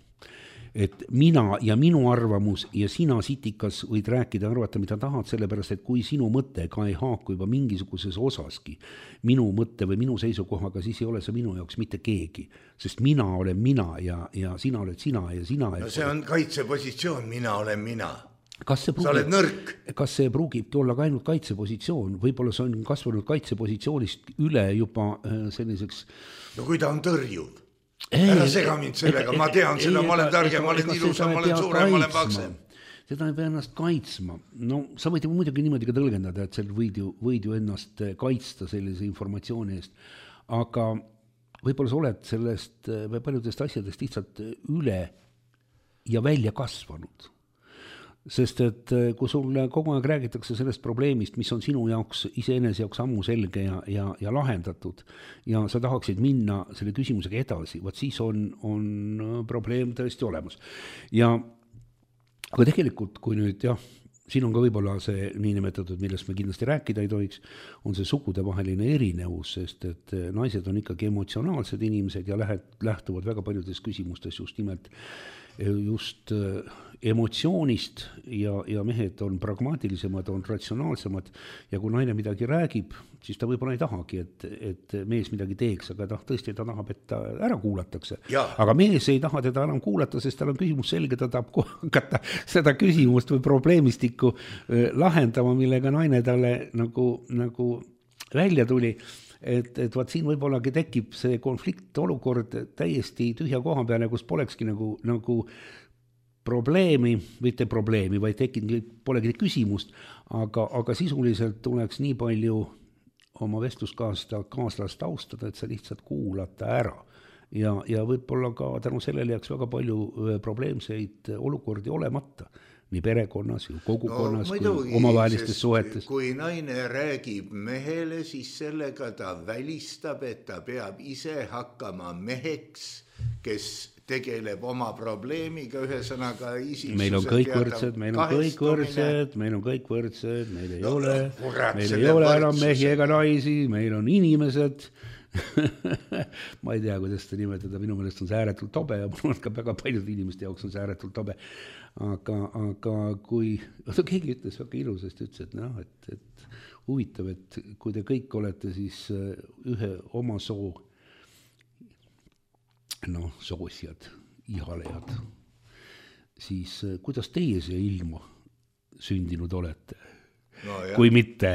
Et mina ja minu arvamus ja sina sitikas võid rääkida, arvata, mida tahad, sellepärast, et kui sinu mõte ka ei haaku juba mingisuguses osaski minu mõtte või minu seisukohaga, siis ei ole see minu jaoks mitte keegi. Sest mina olen mina ja, ja sina oled sina ja sina... No see on kaitsepositsioon, mina olen mina. Kas see pruugib, sa oled nõrk. Kas see pruugibki olla ka ainult kaitsepositsioon? Võib-olla see on kasvanud kaitsepositsioonist üle juba selliseks... No kui ta on tõrjuv. Ära sega mind sellega, ma tean seda, ma olen targem, ma olen ilusam, ma olen suurem, ma olen paksem. Seda ei pea ennast kaitsma. No sa võid ju muidugi niimoodi ka tõlgendada, et seal võid ju, võid ju ennast kaitsta sellise informatsiooni eest, aga võib-olla sa oled sellest või paljudest asjadest lihtsalt üle ja välja kasvanud. Sest et kui sulle kogu aeg räägitakse sellest probleemist, mis on sinu jaoks, iseenese jaoks ammu selge ja, ja, ja lahendatud ja sa tahaksid minna selle küsimusega edasi, vaat siis on, on probleem tõesti olemas. Ja aga tegelikult, kui nüüd jah, siin on ka võib-olla see niinimetatud, millest me kindlasti rääkida ei tohiks, on see sugudevaheline erinevus, sest et naised on ikkagi emotsionaalsed inimesed ja lähtuvad väga paljudes küsimustes just nimelt just emotsioonist ja, ja mehed on pragmaatilisemad, on ratsionaalsemad ja kui naine midagi räägib, siis ta võib-olla ei tahagi, et, et mees midagi teeks, aga ta tõesti ta tahab, et ta ära kuulatakse. Ja. Aga mees ei taha teda enam kuulata, sest tal on küsimus selge, ta tahab hakata seda küsimust või probleemistikku lahendama, millega naine talle nagu, nagu välja tuli. Et, et vaat siin võibollagi tekib see konflikt olukord täiesti tühja koha peale, kus polekski nagu, nagu probleemi, mitte probleemi, vaid tekib, polegi küsimust, aga, aga sisuliselt tuleks nii palju oma vestluskaasta kaaslast austada, et sa lihtsalt kuulata ära. Ja, ja võib-olla ka tänu sellele jääks väga palju probleemseid olukordi olemata. Nii perekonnas, kogukonnas, no, kui omavahelistes suhetes. Kui naine räägib mehele, siis sellega ta välistab, et ta peab ise hakkama meheks, kes tegeleb oma probleemiga, ühesõnaga isiksuse. Meil on kõik võrdsed, meil on kõik võrdsed, meil on kõik võrdsed, meil ei no, ole, meil ei ole enam mehi ega naisi, meil on inimesed, ma ei tea, kuidas seda nimetada, minu meelest on see ääretult tobe ja mul on ka väga paljud inimeste jaoks on see ääretult tobe. Aga, aga kui, oota, keegi ütles väga ilusasti, ütles, et, noh, et, et huvitav, et kui te kõik olete siis ühe oma soo, noh, soosjad, ihalejad, siis kuidas teie siia ilma sündinud olete? No, kui mitte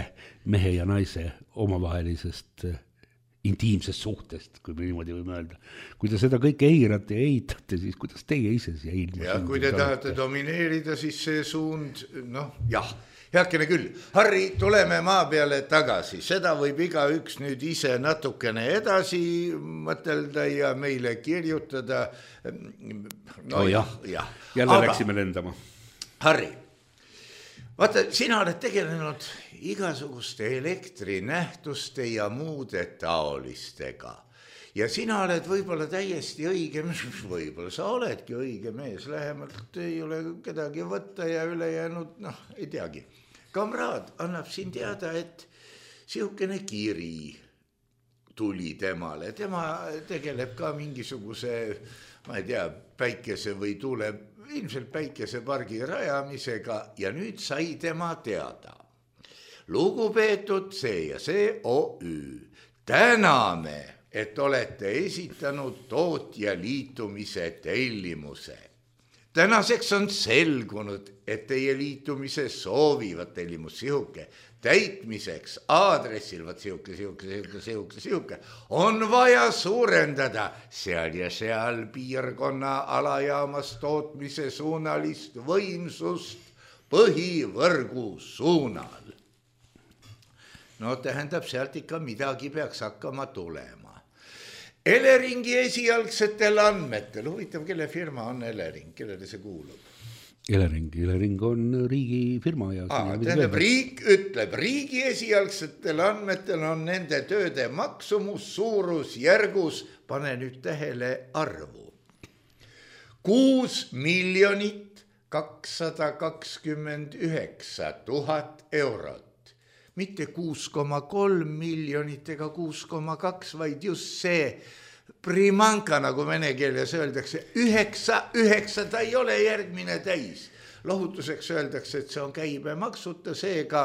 mehe ja naise omavahelisest intiimsest suhtest, kui me niimoodi võime öelda. Kui te seda kõike eirate ja eitate, siis kuidas teie ise siia ilma ja kui te tahate domineerida, siis see suund, noh, jah, heakene küll. Harri, tuleme maa peale tagasi. Seda võib iga üks nüüd ise natukene edasi mõtelda ja meile kirjutada. No oh, jah, jah. Jälle Aga, läksime lendama. Harri, vaata, sina oled tegelenud igasuguste elektrinähtuste ja muude taolistega. Ja sina oled võib-olla täiesti õige, võib-olla sa oledki õige mees, lähemalt ei ole kedagi võtta ja ülejäänud, noh, ei teagi. Kamraad annab siin teada, et sihukene kiri tuli temale. Tema tegeleb ka mingisuguse, ma ei tea, päikese või tuule, ilmselt päikesepargi rajamisega ja nüüd sai tema teada. Lugupeetud see ja see O Ü, täname, et olete esitanud tootja liitumise tellimuse. Tänaseks on selgunud, et teie liitumise soovivad tellimus sihuke täitmiseks aadressil, vaat sihuke, sihuke, sihuke, sihuke, sihuke, on vaja suurendada seal ja seal piirkonna alajaamas tootmise suunalist võimsust põhivõrgu suunal. No tähendab, sealt ikka midagi peaks hakkama tulema. Eleringi esialgsetel andmetel, huvitav, kelle firma on Elering, kellele see kuulub? Elering, Elering on riigi firma. Ja Aa, tähendab, riik ütleb, riigi esialgsetel andmetel on nende tööde maksumus suurus järgus, pane nüüd tähele arvu. kuus miljonit kakssada kakskümmend üheksa tuhat eurot. Mitte kuus koma kolm miljonit ega kuus koma kaks, vaid just see primanka, nagu vene keeles öeldakse, üheksa, üheksa, ta ei ole järgmine täis. Lohutuseks öeldakse, et see on käibemaksuta, seega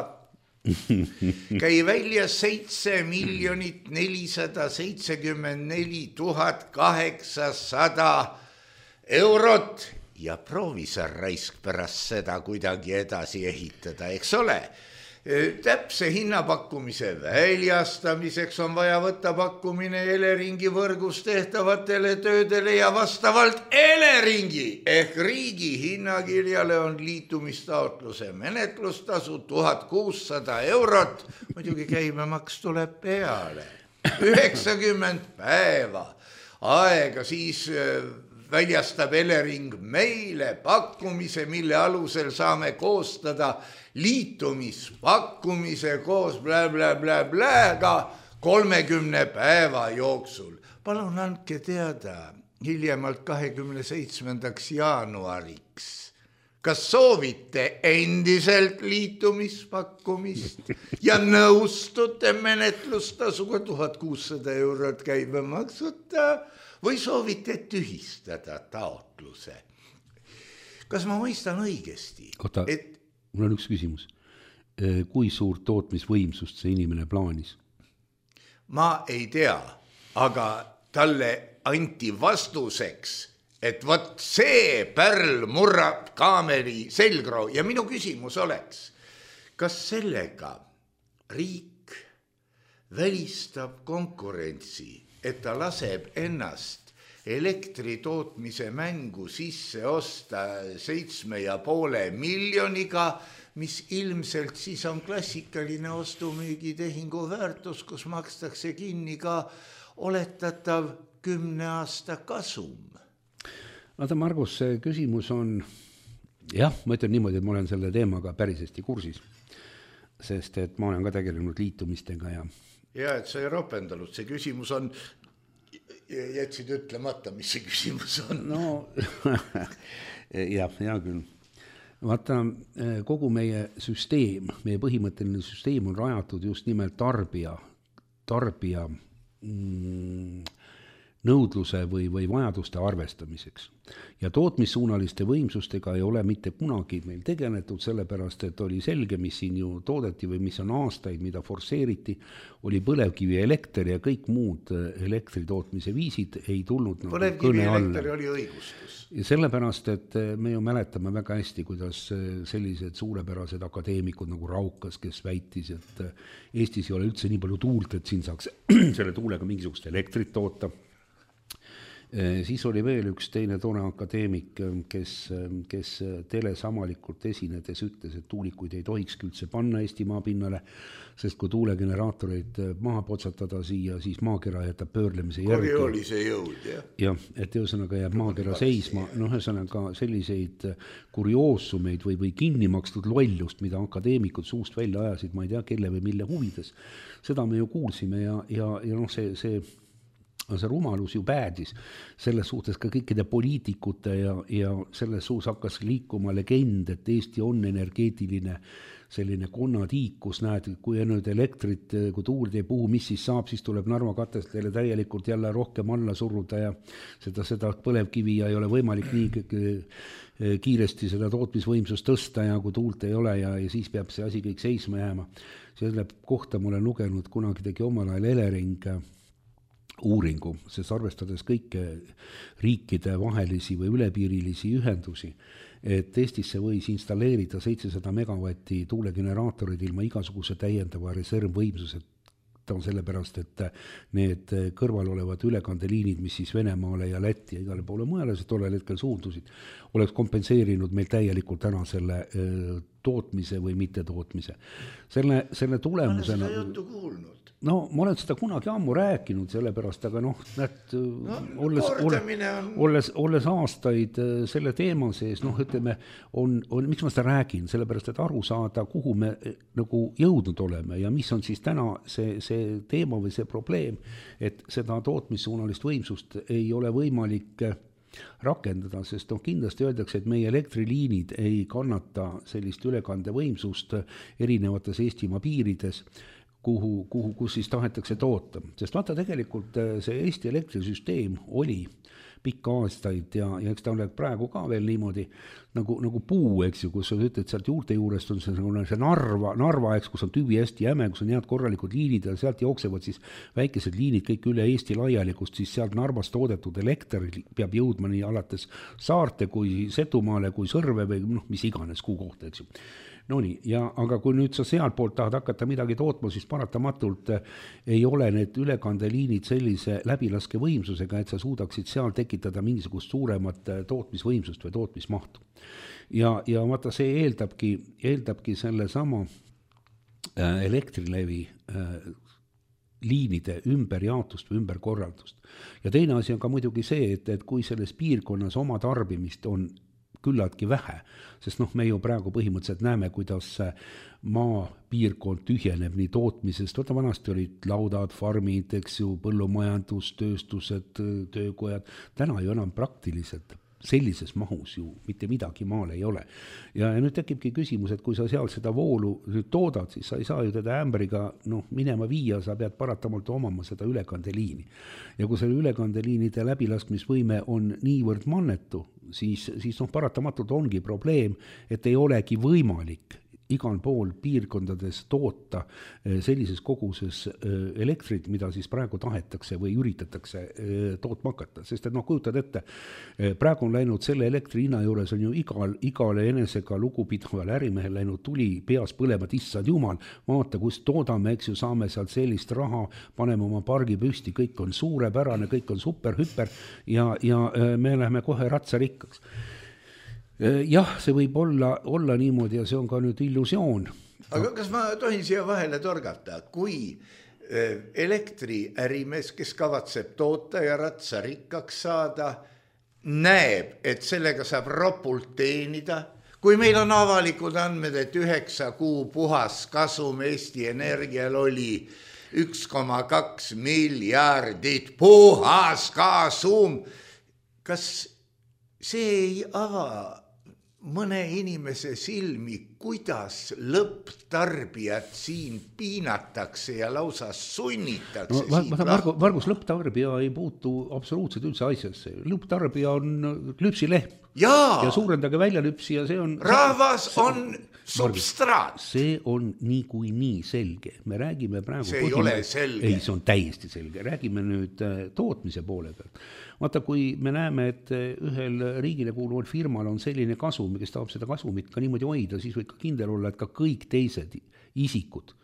käi välja seitse miljonit nelisada seitsekümmend neli tuhat kaheksasada eurot ja proovi sa raisk pärast seda kuidagi edasi ehitada, eks ole? Täpse hinnapakkumise väljastamiseks on vaja võtta pakkumine Eleringi võrgus tehtavatele töödele ja vastavalt Eleringi ehk riigi hinnakirjale on liitumistaotluse menetlustasu tuhat kuussada eurot. Muidugi käibemaks tuleb peale. üheksakümmend päeva aega, siis väljastab Elering meile pakkumise, mille alusel saame koostada liitumispakkumise koos blä, blä, blä, bläga kolmekümne päeva jooksul. Palun andke teada hiljemalt kahekümne seitsmendaks jaanuariks. Kas soovite endiselt liitumispakkumist ja nõustute menetlustasuga tuhat kuussada eurot käibemaksuta või soovite tühistada taotluse? Kas ma mõistan õigesti? Kota, et mul on üks küsimus. Kui suurt tootmisvõimsust see inimene plaanis? Ma ei tea, aga talle anti vastuseks, et võt see pärl murrab kaameri selgroo. Ja minu küsimus oleks, kas sellega riik välistab konkurentsi, et ta laseb ennast elektri tootmise mängu sisse osta seitsme ja poole miljoniga, mis ilmselt siis on klassikaline ostumüügitehingu väärtus, kus makstakse kinni ka oletatav kümne aasta kasum. Vaata, Margus, see küsimus on, jah, ma ütlen niimoodi, et ma olen selle teemaga päris hästi kursis, sest et ma olen ka tegelenud liitumistega ja ja, et sa ei ropendanud, see küsimus on, jätsid ütlemata, mis see küsimus on. No, jah, hea küll. Vaata, kogu meie süsteem, meie põhimõtteline süsteem on rajatud just nimelt tarbija, tarbija mm, nõudluse või, või vajaduste arvestamiseks. Ja tootmissuunaliste võimsustega ei ole mitte kunagi meil tegeletud, sellepärast et oli selge, mis siin ju toodeti või mis on aastaid, mida forsseeriti, oli põlevkivi elekter ja kõik muud elektritootmise viisid ei tulnud põlevkivi nagu elekter oli õigustus. Ja sellepärast, et me ju mäletame väga hästi, kuidas sellised suurepärased akadeemikud nagu Raukas, kes väitis, et Eestis ei ole üldse nii palju tuult, et siin saaks selle tuulega mingisugust elektrit toota. Siis oli veel üks teine tore akadeemik, kes, kes teles avalikult esinedes ütles, et tuulikuid ei tohikski üldse panna Eesti maapinnale, sest kui tuulegeneraatoreid maha potsatada siia, siis maakera jätab pöörlemise järgi. Korioolise jõud, jah. Jah, et ühesõnaga jääb maakera seisma. No ühesõnaga selliseid kurioosumeid või, või kinni makstud lollust, mida akadeemikud suust välja ajasid, ma ei tea, kelle või mille huvides. Seda me ju kuulsime ja, ja, ja noh, see... see see rumalus ju päädis selles suhtes ka kõikide poliitikute ja, ja selles suus hakkas liikuma legend, et Eesti on energeetiline selline konnatiik, kus näed, kui nüüd elektrit, kui tuuld ei puhu, mis siis saab, siis tuleb Narva katestele täielikult jälle rohkem alla suruda ja seda, seda põlevkivi ja ei ole võimalik nii kiiresti seda tootmisvõimsust tõsta ja kui tuult ei ole ja, ja siis peab see asi kõik seisma jääma. Selle kohta ma olen lugenud, kunagi tegi omal ajal Elering uuringu, sest arvestades kõike riikide vahelisi või ülepiirilisi ühendusi, et Eestisse võis installeerida seitsesada megavatti tuulegeneraatorid ilma igasuguse täiendava reservvõimsused. Ta on sellepärast, et need kõrval olevad ülekandeliinid, mis siis Venemaale ja Lätti ja igale poole mujale see tollel hetkel suundusid, oleks kompenseerinud meil täielikult ära selle tootmise või mitte tootmise. Selle, selle tulemusena... Ma olen seda juttu kuulnud. No, ma olen seda kunagi ammu rääkinud, sellepärast, aga noh, näed, no, olles, on... olles, olles aastaid selle teema sees, noh, ütleme, on, on, miks ma seda räägin, sellepärast, et aru saada, kuhu me nagu jõudnud oleme ja mis on siis täna see, see teema või see probleem, et seda tootmissuunalist võimsust ei ole võimalik rakendada, sest noh, kindlasti öeldakse, et meie elektriliinid ei kannata sellist ülekandevõimsust erinevates Eestimaa piirides, kuhu, kuhu, kus siis tahetakse toota. Sest vaata tegelikult see Eesti elektrisüsteem oli pikka aastaid ja, ja eks ta ole praegu ka veel niimoodi nagu, nagu puu, eks ju, kus sa ütled, sealt juurte juurest on see, see narva, narva, eks, kus on tüvi hästi jäme, kus on head korralikud liinid ja sealt jooksevad siis väikesed liinid kõik üle Eesti laiali, kus siis sealt Narvas toodetud elekter peab jõudma nii alates Saarte kui Setumaale kui Sõrve või noh, mis iganes kuu kohta, eks ju. No nii, ja, aga kui nüüd sa sealt poolt tahad hakata midagi tootma, siis paratamatult ei ole need ülekandeliinid sellise läbilaske võimsusega, et sa suudaksid seal tekitada mingisugust suuremat tootmisvõimsust või tootmismahtu. Ja, ja vaata, see eeldabki, eeldabki selle sama Elektrilevi liinide ümberjaotust või ümberkorraldust. Ja teine asi on ka muidugi see, et, et kui selles piirkonnas oma tarbimist on küllaltki vähe, sest noh, me ju praegu põhimõtteliselt näeme, kuidas maa piirkond tühjeneb nii tootmisest, võtta vanasti olid laudad, farmid, eks ju, põllumajandus, tööstused, töökojad, täna ju enam praktiliselt sellises mahus ju mitte midagi maal ei ole. Ja, ja nüüd tekibki küsimus, et kui sa seal seda voolu nüüd toodad, siis sa ei saa ju teda ämbriga noh, minema viia, sa pead paratamalt omama seda ülekandeliini. Ja kui selle ülekandeliinide läbilaskmisvõime on niivõrd mannetu, siis, siis noh, paratamatult ongi probleem, et ei olegi võimalik igal pool piirkondades toota sellises koguses elektrit, mida siis praegu tahetakse või üritatakse tootma hakata. Sest et noh, kujutad ette, praegu on läinud selle elektri hinna juures on ju igal, igale enesega lugupidaval ärimehel läinud tuli peas põlema, issand jumal, vaata, kus toodame, eks ju, saame sealt sellist raha, paneme oma pargi püsti, kõik on suurepärane, kõik on super, hüper ja, ja me läheme kohe ratsarikkaks. Jah, see võib olla, olla niimoodi ja see on ka nüüd illusioon. Aga kas ma tohin siia vahele torgata, kui elektriärimees, kes kavatseb toota ja ratsarikkaks saada, näeb, et sellega saab ropult teenida, kui meil on avalikud andmed, et üheksa kuu puhas kasum Eesti Energial oli üks koma kaks miljardit puhas kasum, kas see ei ava mõne inimese silmi, kuidas lõpptarbijat siin piinatakse ja lausa sunnitakse no, siit vaata, Margu, Margus, lõpptarbija ei puutu absoluutselt üldse asjasse. Lõpptarbija on lüpsilehm. Jaa. Ja suurendage välja lüpsi ja see on... Rahvas on substraat. See on nii kui nii selge. Me räägime praegu... See ei põhime... ole selge. Ei, see on täiesti selge. Räägime nüüd tootmise poole pealt. Vaata, kui me näeme, et ühel riigile kuuluval firmal on selline kasum, kes tahab seda kasumit ka niimoodi hoida, siis võib ka kindel olla, et ka kõik teised isikud,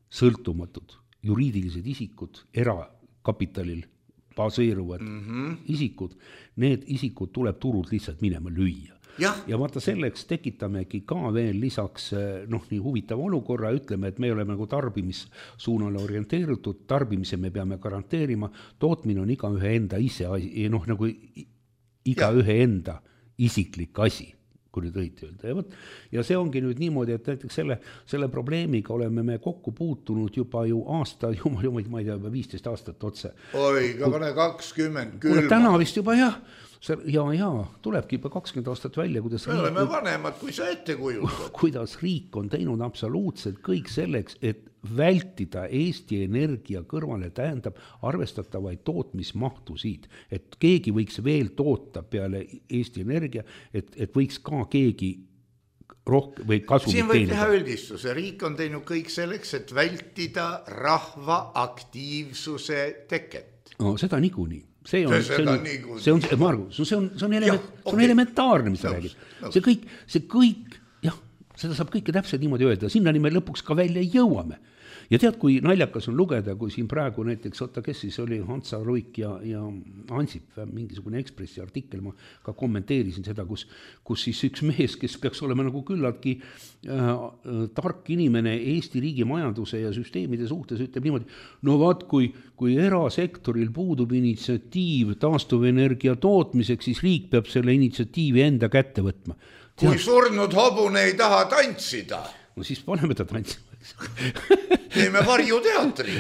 sõltumatud, juriidilised isikud, erakapitalil baseeruvad mm -hmm. isikud, need isikud tuleb turult lihtsalt minema lüüa. Ja. ja vaata selleks tekitamegi ka veel lisaks noh, nii huvitava olukorra, ütleme, et me oleme nagu tarbimissuunale orienteeritud, tarbimise me peame garanteerima, tootmine on iga ühe enda ise, noh nagu iga ja. ühe enda isiklik asi, kui nüüd õiti öelda. Ja, võt, ja see ongi nüüd niimoodi, et näiteks selle, selle probleemiga oleme me kokku puutunud juba ju aasta, jumal, jumal, ma ei tea, viisteist aastat otse. Oi, ka pane kakskümmend külma. Täna vist juba jah. Ja, ja, tulebki juba kakskümmend aastat välja, kuidas me oleme riik, vanemad, kui sa ette kujutad. Kuidas riik on teinud absoluutselt kõik selleks, et vältida Eesti Energia kõrvale, tähendab arvestatavaid tootmismahtusid, et keegi võiks veel toota peale Eesti Energia, et, et võiks ka keegi rohkem või kasumit teenida. Siin võib teha üldistuse. Riik on teinud kõik selleks, et vältida rahva aktiivsuse teket. No seda niikuinii. See on, see on, see on, Margus, see on, see on, element, ja, okay. see on elementaarne, mis ta räägib. See kõik, see kõik, jah, seda saab kõike täpselt niimoodi öelda. Sinnani me lõpuks ka välja jõuame. Ja tead, kui naljakas on lugeda, kui siin praegu näiteks, oota, kes siis oli Hansa Ruik ja, ja Ansip, mingisugune Ekspressi artikkel, ma ka kommenteerisin seda, kus, kus siis üks mees, kes peaks olema nagu küllaltki äh, tark inimene Eesti riigi majanduse ja süsteemide suhtes, ütleb niimoodi, no vaat, kui, kui erasektoril puudub initsiatiiv taastuvenergia tootmiseks, siis riik peab selle initsiatiivi enda kätte võtma. Tead, kui surnud hobune ei taha tantsida. No siis paneme ta tantsima. Teeme varjuteatri.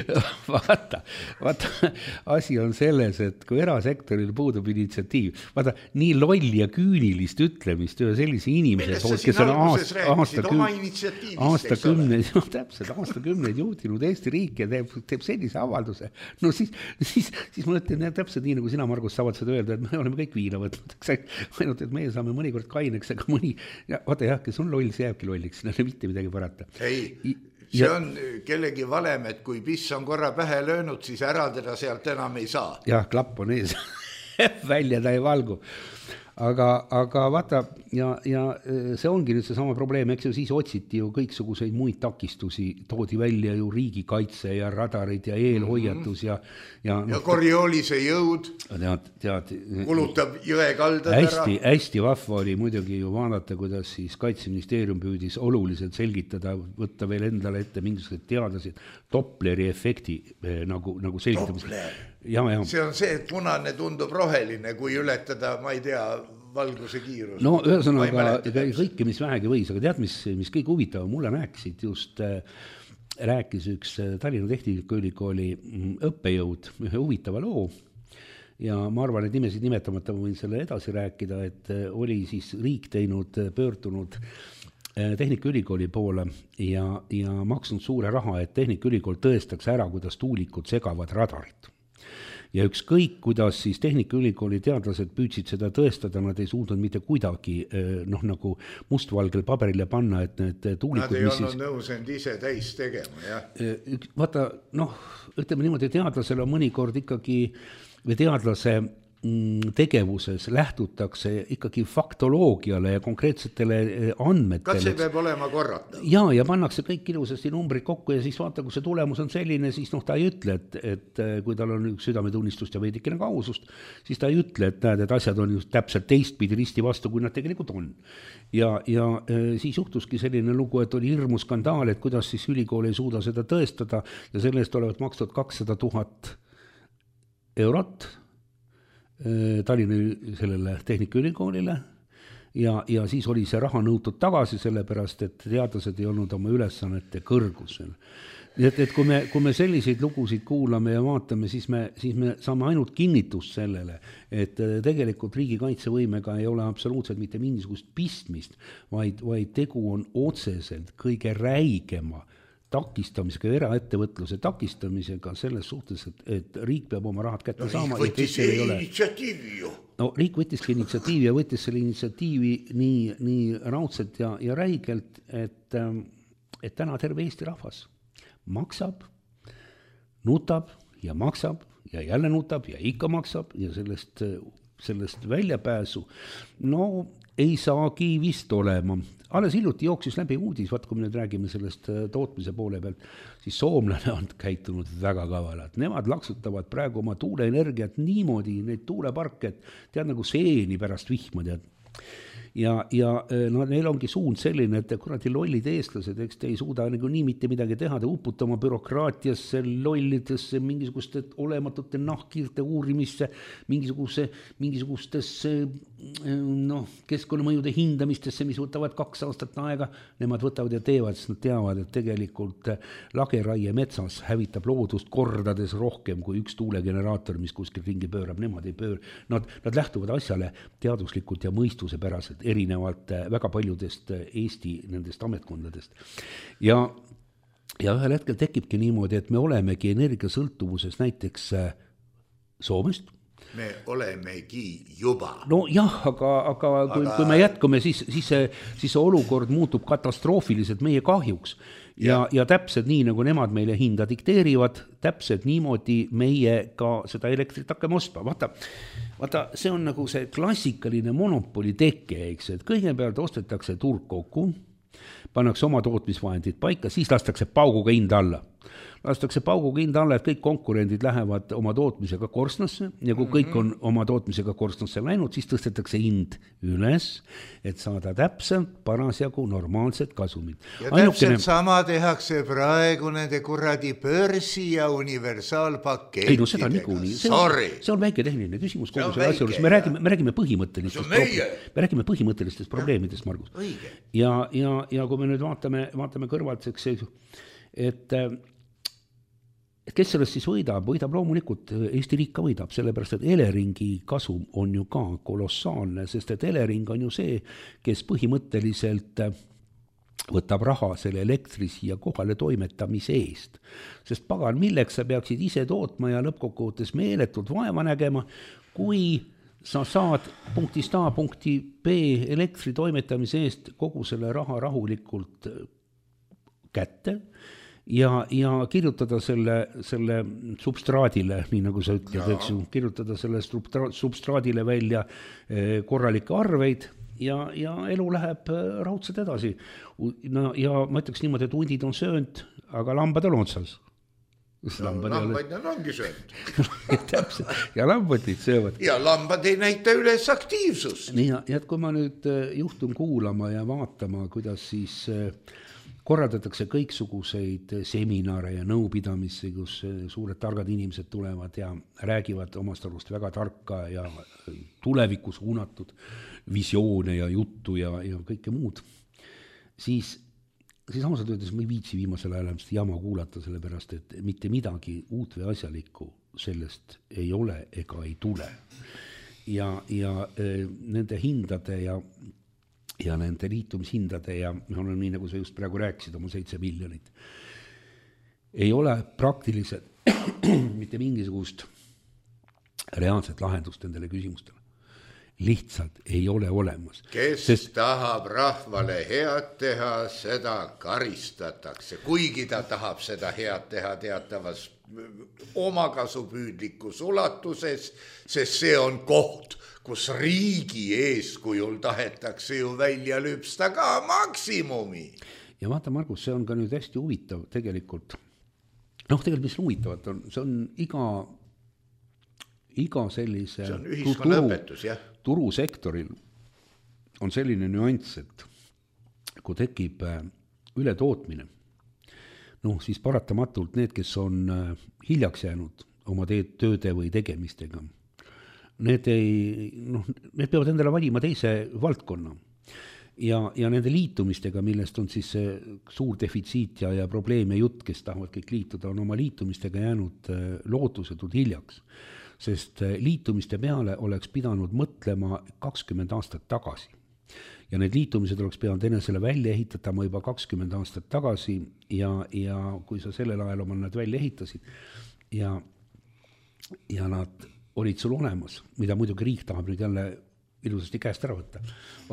Vaata, vaata, asi on selles, et kui erasektoril puudub initsiatiiv, vaata, nii loll ja küünilist ütlemist ühe sellise inimese poolt, kes on aasta, aasta, aasta kümneid, no, täpselt, aasta kümneid juhtinud Eesti riik ja teeb, teeb sellise avalduse. No siis, siis, siis ma ütlen, et täpselt nii, nagu sina, Margus, saavad seda öelda, et me oleme kõik viina võtnud. Ainult, et meie saame mõnikord kaineks, aga mõni, ja, vaata jah, kes on loll, see jääbki lolliks, no mitte midagi parata. Ei, see on kellegi valem, et kui piss on korra pähe löönud, siis ära teda sealt enam ei saa. Jah, klapp on ees. Välja ta ei valgu. Aga, aga vaata, ja, ja see ongi nüüd see sama probleem, eks ju, siis otsiti ju kõiksuguseid muid takistusi, toodi välja ju riigikaitse ja radarid ja eelhoiatus ja ja, ja no, Coriolis'e jõud tead, tead, kulutab jõe kaldad hästi, ära. Hästi vahva oli muidugi ju vaadata, kuidas siis Kaitseministeerium püüdis oluliselt selgitada, võtta veel endale ette mingisugused teadlased Dopleri efekti nagu, nagu selgitamis. Ja, ja. See on see, et punane tundub roheline, kui ületada, ma ei tea, valguse kiirus. No ühesõnaga kõike, mis vähegi võis, aga tead, mis, mis kõik huvitav, mulle rääkisid just, rääkis üks Tallinna Tehnikaülikooli õppejõud ühe huvitava loo ja ma arvan, et nimesid nimetamata ma võin selle edasi rääkida, et oli siis riik teinud, pöördunud Tehnikaülikooli poole ja, ja maksnud suure raha, et Tehnikaülikool tõestaks ära, kuidas tuulikud segavad radarit. Ja ükskõik, kuidas siis Tehnikaülikooli teadlased püüdsid seda tõestada, nad ei suutnud mitte kuidagi noh, nagu mustvalgel paberile panna, et need tuulikud... Nad ei olnud siis... nõus end ise täis tegema, jah. Vaata, noh, ütleme niimoodi, teadlasel on mõnikord ikkagi, või teadlase tegevuses lähtutakse ikkagi faktoloogiale ja konkreetsetele andmetele. Kas see peab olema korrata? Ja, ja pannakse kõik ilusasti numbrid kokku ja siis vaata, kui see tulemus on selline, siis noh, ta ei ütle, et, et kui tal on üks südametunnistust ja veidikene kausust, siis ta ei ütle, et näed, et asjad on just täpselt teistpidi risti vastu, kui nad tegelikult on. Ja, ja siis juhtuski selline lugu, et oli hirmu skandaal, et kuidas siis ülikool ei suuda seda tõestada ja selle eest olevat makstud kakssada tuhat eurot Tallinna sellele Tehnikaülikoolile ja, ja siis oli see raha nõutud tagasi, sellepärast et teadlased ei olnud oma ülesannete kõrgusel. Nii et, et kui me, kui me selliseid lugusid kuulame ja vaatame, siis me, siis me saame ainult kinnitust sellele, et tegelikult riigikaitsevõimega ei ole absoluutselt mitte mingisugust pistmist, vaid, vaid tegu on otseselt kõige räigema takistamisega, eraettevõtluse takistamisega selles suhtes, et, et riik peab oma rahad kätte no, saama. Riik võttis initsiatiivi ju. No riik võttiski initsiatiivi ja võttis selle initsiatiivi nii, nii raudselt ja, ja räigelt, et, et täna terve Eesti rahvas maksab, nutab ja maksab ja jälle nutab ja ikka maksab ja sellest, sellest väljapääsu no ei saagi vist olema. Alles hiljuti jooksis läbi uudis, vaat kui me nüüd räägime sellest tootmise poole pealt, siis soomlane on käitunud väga kavalalt. Nemad laksutavad praegu oma tuuleenergiat niimoodi, neid tuuleparke, tead nagu seeni pärast vihma, tead. Ja, ja no, neil ongi suund selline, et kuradi lollid eestlased, eks te ei suuda nagu nii mitte midagi teha, te uputama bürokraatiasse, lollidesse, mingisuguste olematute nahkirte uurimisse, mingisuguse, mingisugustesse no, keskkonnamõjude hindamistesse, mis võtavad kaks aastat aega, nemad võtavad ja teevad, sest nad teavad, et tegelikult lageraie metsas hävitab loodust kordades rohkem kui üks tuulegeneraator, mis kuskil ringi pöörab, nemad ei pöör. Nad, nad lähtuvad asjale teaduslikult ja mõistuse päraselt, erinevalt väga paljudest Eesti nendest ametkondadest. Ja, ja ühel hetkel tekibki niimoodi, et me olemegi energiasõltuvuses näiteks Soomest. Me olemegi juba. No jah, aga, aga, aga... Kui, kui me jätkame, siis, siis, see, siis see olukord muutub katastroofiliselt meie kahjuks. Ja, ja täpselt nii, nagu nemad meile hinda dikteerivad, täpselt niimoodi meie ka seda elektrit hakkame ostma. Vaata, vaata, see on nagu see klassikaline monopoli teke, eks, et kõigepealt ostetakse turg kokku, pannakse oma tootmisvahendid paika, siis lastakse pauguga hind alla. Lastakse pauguga hind alla, et kõik konkurendid lähevad oma tootmisega korstnasse ja kui kõik on oma tootmisega korstnasse läinud, siis tõstetakse hind üles, et saada täpselt parasjagu normaalset kasumit. Ja Ainukene... täpselt sama tehakse praegu nende kuradi börsi ja universaalpakettidega. Ei no seda niikuinii. See, see on väike tehniline küsimus kogu selle asja juures. Me räägime, me räägime põhimõttelistest, pro... me räägime põhimõttelistest probleemidest, Margus. Ja, ja, ja kui me nüüd vaatame, vaatame kõrvaltseks, et et kes sellest siis võidab, võidab loomulikult, Eesti riik ka võidab, sellepärast et Eleringi kasum on ju ka kolossaalne, sest et Elering on ju see, kes põhimõtteliselt võtab raha selle elektri siia kohale toimetamise eest. Sest pagan, milleks sa peaksid ise tootma ja lõppkokkuvõttes meeletult vaeva nägema, kui sa saad punktist A punkti B elektri toimetamise eest kogu selle raha rahulikult kätte, Ja, ja kirjutada selle, selle substraadile, nii nagu sa ütled, eks ju, kirjutada selle substraadile välja korralikke arveid ja, ja elu läheb raudselt edasi. No, ja ma ütleks niimoodi, et hundid on söönud, aga lambad on otsas. No, lambad ole... nad ongi söönud. Täpselt, ja lambad neid söövad. Ja lambad ei näita üles aktiivsust. Nii, ja et kui ma nüüd juhtun kuulama ja vaatama, kuidas siis... korraldatakse kõiksuguseid seminare ja nõupidamisi, kus suured targad inimesed tulevad ja räägivad omast arust väga tarka ja tulevikus suunatud visioone ja juttu ja, ja kõike muud, siis, siis ausalt öeldes ma ei viitsi viimasel ajal jama kuulata, sellepärast, et mitte midagi uut või asjalikku sellest ei ole ega ei tule. Ja, ja e, nende hindade ja ja nende liitumishindade ja me oleme nii, nagu sa just praegu rääkisid, oma seitse miljonit. Ei ole praktiliselt mitte mingisugust reaalset lahendust nendele küsimustele. Lihtsalt ei ole olemas. Kes Sest... tahab rahvale head teha, seda karistatakse. Kuigi ta tahab seda head teha teatavas omakasupüüdlikus ulatuses, sest see on koht, kus riigi eeskujul tahetakse ju välja lüpsta ka maksimumi. Ja vaata, Margus, see on ka nüüd hästi huvitav tegelikult. Noh, tegelikult mis huvitavat on, see on iga, iga sellise see on ühiskonna õpetus, jah. Turusektoril on selline nüanss, et kui tekib ületootmine, noh, siis paratamatult need, kes on hiljaks jäänud oma tööde või tegemistega, need ei, noh, need peavad endale valima teise valdkonna. Ja, ja nende liitumistega, millest on siis suur defitsiit ja, ja probleem ja jutt, kes tahavad kõik liituda, on oma liitumistega jäänud lootusetud hiljaks. Sest liitumiste peale oleks pidanud mõtlema kakskümmend aastat tagasi. Ja need liitumised oleks pidanud enesele välja ehitatama juba kakskümmend aastat tagasi ja, ja kui sa sellel ajal oma nad välja ehitasid ja, ja nad olid sul olemas, mida muidugi riik tahab nüüd jälle ilusasti käest ära võtta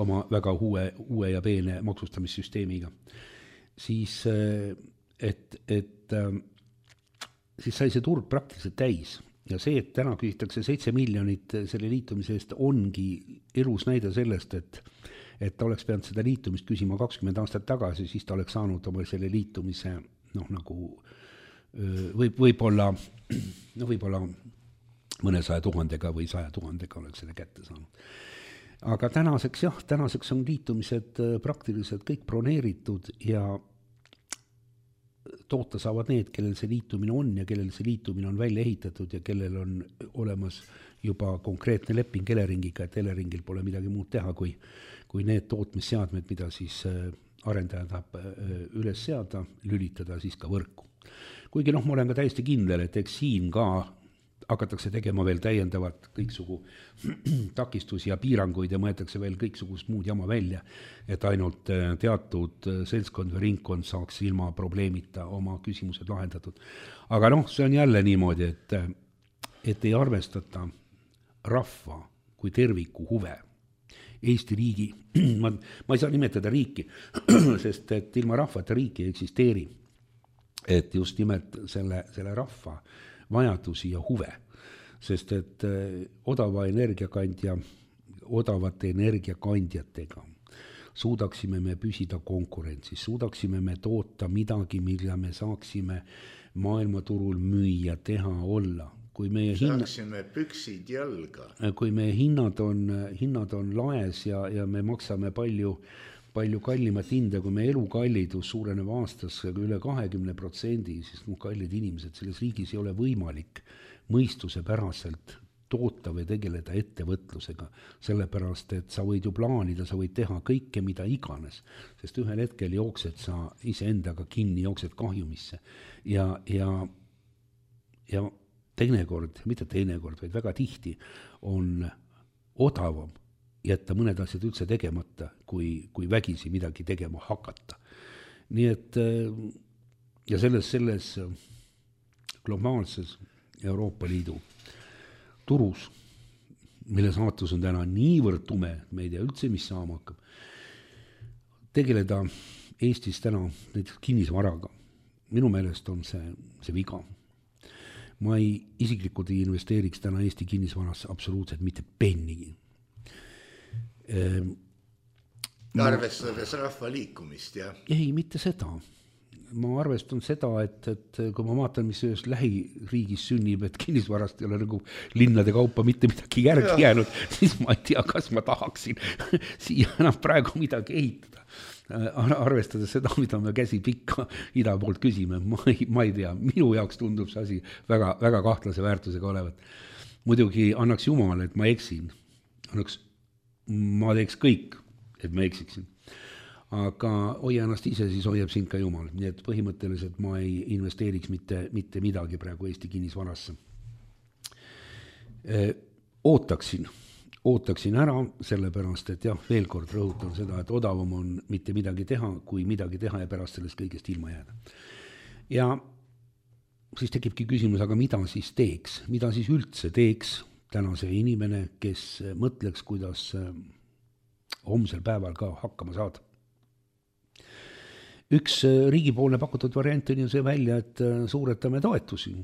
oma väga uue, uue ja peene maksustamissüsteemiga, siis, et, et, siis sai see turg praktiliselt täis. Ja see, et täna küsitakse seitse miljonit selle liitumise eest, ongi elus näide sellest, et, et ta oleks pidanud seda liitumist küsima kakskümmend aastat tagasi, siis ta oleks saanud oma selle liitumise, noh, nagu võib, võib-olla, no võib-olla mõne saja tuhandega või saja tuhandega oleks selle kätte saanud. Aga tänaseks, jah, tänaseks on liitumised praktiliselt kõik broneeritud ja toota saavad need, kellel see liitumine on ja kellel see liitumine on välja ehitatud ja kellel on olemas juba konkreetne leping Eleringiga, et Eleringil pole midagi muud teha, kui, kui need tootmisseadmed, mida siis arendaja tahab üles seada, lülitada siis ka võrku. Kuigi noh, ma olen ka täiesti kindel, et eks siin ka hakatakse tegema veel täiendavat kõiksugu takistusi ja piiranguid ja mõetakse veel kõiksugust muud jama välja, et ainult teatud seltskond või ringkond saaks ilma probleemita oma küsimused lahendatud. Aga noh, see on jälle niimoodi, et, et ei arvestata rahva kui terviku huve. Eesti riigi, ma, ma ei saa nimetada riiki, sest et ilma rahvata riiki ei eksisteeri. Et just nimelt selle, selle rahva vajadusi ja huve, sest et odava energiakandja, odavate energiakandjatega suudaksime me püsida konkurentsis, suudaksime me toota midagi, mille me saaksime maailmaturul müüa, teha, olla. Kui meie saaksime hinna, püksid jalga. Kui meie hinnad on, hinnad on laes ja, ja me maksame palju palju kallimat hinda, kui me elukallidus suureneb aastas üle kahekümne protsendi, siis no, kallid inimesed, selles riigis ei ole võimalik mõistuse päraselt toota või tegeleda ettevõtlusega, sellepärast, et sa võid ju plaanida, sa võid teha kõike, mida iganes, sest ühel hetkel jooksed sa iseendaga kinni, jooksed kahjumisse ja, ja, ja teinekord, mitte teinekord, vaid väga tihti on odavam jätta mõned asjad üldse tegemata, kui, kui vägisi midagi tegema hakata. Nii et ja selles, selles globaalses Euroopa Liidu turus, mille saatus on täna niivõrd tume, me ei tea üldse, mis saama hakkab, tegeleda Eestis täna näiteks kinnisvaraga. Minu meelest on see, see viga. Ma ei isiklikult ei investeeriks täna Eesti kinnisvarasse absoluutselt mitte pennigi. Arvestades rahva liikumist, jah? Ei, mitte seda. Ma arvestan seda, et, et kui ma vaatan, mis ühes lähiriigis sünnib, et kinnisvarast ei ole nagu linnade kaupa mitte midagi järgi jäänud, siis ma ei tea, kas ma tahaksin siia enam praegu midagi ehitada. Arvestades seda, mida me käsi pikka ida poolt küsime, ma ei, ma ei tea, minu jaoks tundub see asi väga, väga kahtlase väärtusega olevat. Muidugi annaks Jumal, et ma eksin. Annaks ma teeks kõik, et ma eksiksin. Aga hoia ennast ise, siis hoiab sind ka Jumal. Nii et põhimõtteliselt ma ei investeeriks mitte, mitte midagi praegu Eesti kinnisvarasse. Ootaksin, ootaksin ära, sellepärast, et jah, veel kord rõhutan seda, et odavam on mitte midagi teha, kui midagi teha ja pärast sellest kõigest ilma jääda. Ja siis tekibki küsimus, aga mida siis teeks? Mida siis üldse teeks täna see inimene, kes mõtleks, kuidas homsel päeval ka hakkama saada. Üks riigipoolne pakutud variant on ju see välja, et suuretame toetusi.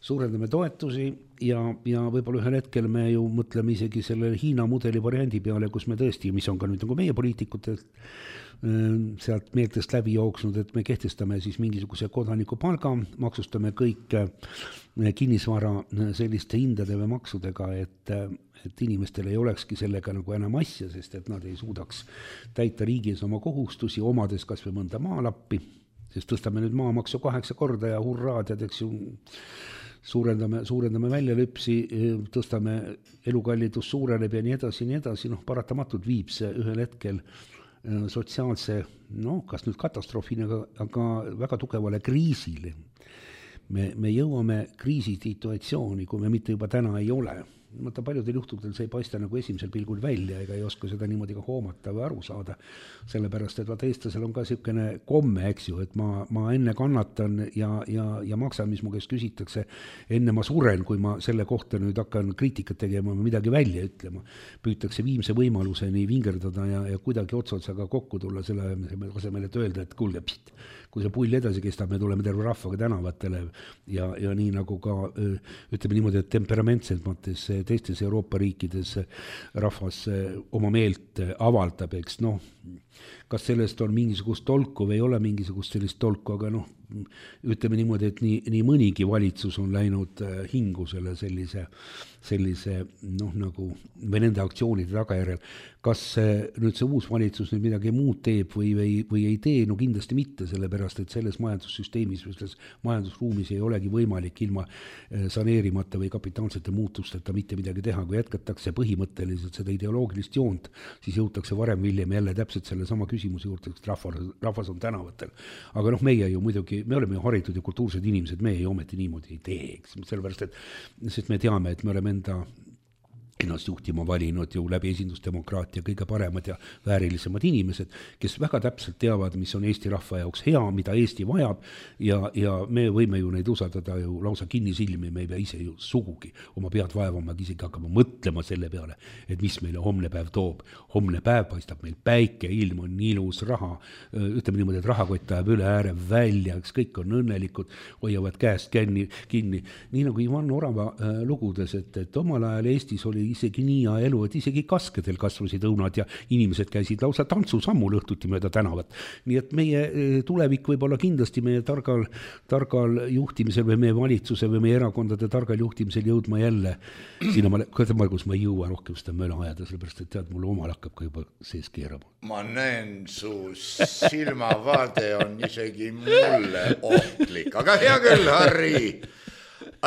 Suurendame toetusi ja, ja võib-olla ühel hetkel me ju mõtleme isegi selle Hiina mudeli variandi peale, kus me tõesti, mis on ka nüüd nagu meie poliitikutelt sealt meeltest läbi jooksnud, et me kehtestame siis mingisuguse kodaniku palga, maksustame kõik kinnisvara selliste hindade või maksudega, et, et inimestel ei olekski sellega nagu enam asja, sest et nad ei suudaks täita riigis oma kohustusi, omades kas või mõnda maalappi, sest tõstame nüüd maamaksu kaheksa korda ja hurraad, et eks ju suurendame, suurendame väljalüpsi, tõstame elukallidus suureneb ja nii edasi, nii edasi, noh, paratamatult viib see ühel hetkel sotsiaalse, no kas nüüd katastroofini, aga, aga väga tugevale kriisile. Me, me jõuame kriisisituatsiooni, kui me mitte juba täna ei ole. Mõtta paljudel juhtudel see ei paista nagu esimesel pilgul välja ega ei oska seda niimoodi ka hoomata või aru saada, sellepärast, et vaat eestlasel on ka niisugune komme, eks ju, et ma, ma enne kannatan ja, ja, ja maksan, mis mu käest küsitakse, enne ma suren, kui ma selle kohta nüüd hakkan kriitikat tegema või midagi välja ütlema. Püütakse viimse võimaluseni vingerdada ja, ja kuidagi otsotsaga kokku tulla selle asemel, et öelda, et kuulge, pst, kui see pull edasi kestab, me tuleme terve rahvaga tänavatele ja, ja nii nagu ka ütleme niimoodi, et temperamentselt mõttes teistes Euroopa riikides rahvas oma meelt avaldab, eks noh, kas sellest on mingisugust tolku või ei ole mingisugust sellist tolku, aga noh, ütleme niimoodi, et nii, nii mõnigi valitsus on läinud hingu selle sellise, sellise noh nagu või nende aktsioonide tagajärjel. Kas nüüd see uus valitsus nüüd midagi muud teeb või, või, või ei tee? No kindlasti mitte, sellepärast, et selles majandussüsteemis või selles majandusruumis ei olegi võimalik ilma saneerimata või kapitaalsete muutusteta mitte midagi teha. Kui jätkatakse põhimõtteliselt seda ideoloogilist joont, siis jõutakse varem hiljem jälle täpselt selle sama küsimuse juurde, et rahvas, rahvas on tänavatel. Aga noh, meie ju muidugi, me oleme ju haritud ja kultuursed inimesed, me ei ometi niimoodi ei tee, eks, sellepärast, et sest me teame, et me oleme enda ennast juhtima valinud ju läbi esindusdemokraatia kõige paremad ja väärilisemad inimesed, kes väga täpselt teavad, mis on Eesti rahva jaoks hea, mida Eesti vajab ja, ja me võime ju neid usaldada ju lausa kinnisilmi, me ei pea ise ju sugugi oma pead vaevama, isegi hakkama mõtlema selle peale, et mis meile homne päev toob. Homne päev paistab meil päike, ilm on ilus, raha, ütleme niimoodi, et rahakott ajab üle ääre välja, eks kõik on õnnelikud, hoiavad käest kinni, kinni. Nii nagu Ivan Orava lugudes, et, et omal ajal Eestis oli isegi nii ja elu, et isegi kaskedel kasvasid õunad ja inimesed käisid lausa tantsusammul õhtuti mööda tänavat. Nii et meie tulevik võib olla kindlasti meie targal, targal juhtimisel või meie valitsuse või meie erakondade targal juhtimisel jõudma jälle. Siin on ma, kus ma ei jõua rohkem seda möla ajada, sellepärast, et tead, mul omal hakkab ka juba sees keerama. Ma näen, su silmavaade on isegi mulle ohtlik, aga hea küll, Harri.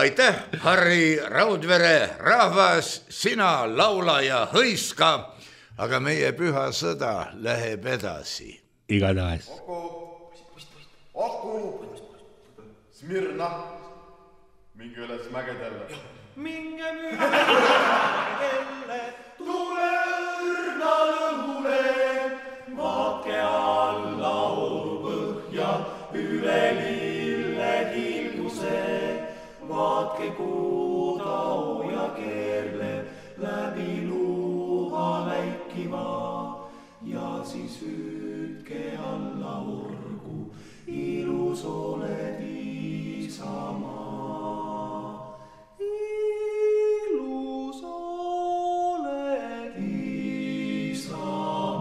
Aitäh, Harri Raudvere, rahvas, sina laula ja hõiska, aga meie püha sõda läheb edasi. Igatahes. Oku, Oku, Smirna, minge üles mägedele. Minge mägedele, tule õrna lõhule, vaake alla orupõhja, üle lille kilguse. Vaatke kuuda ja keerle läbi luuha läikima ja siis hüüdke alla orgu, ilus oled Isamaa. Ilus oled Isamaa.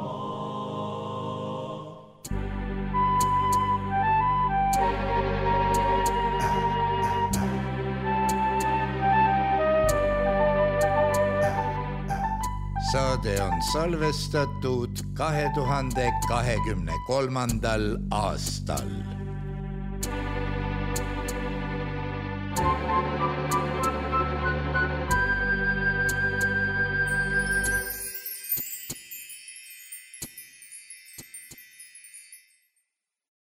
Saade on salvestatud kahe tuhande kahekümne kolmandal aastal.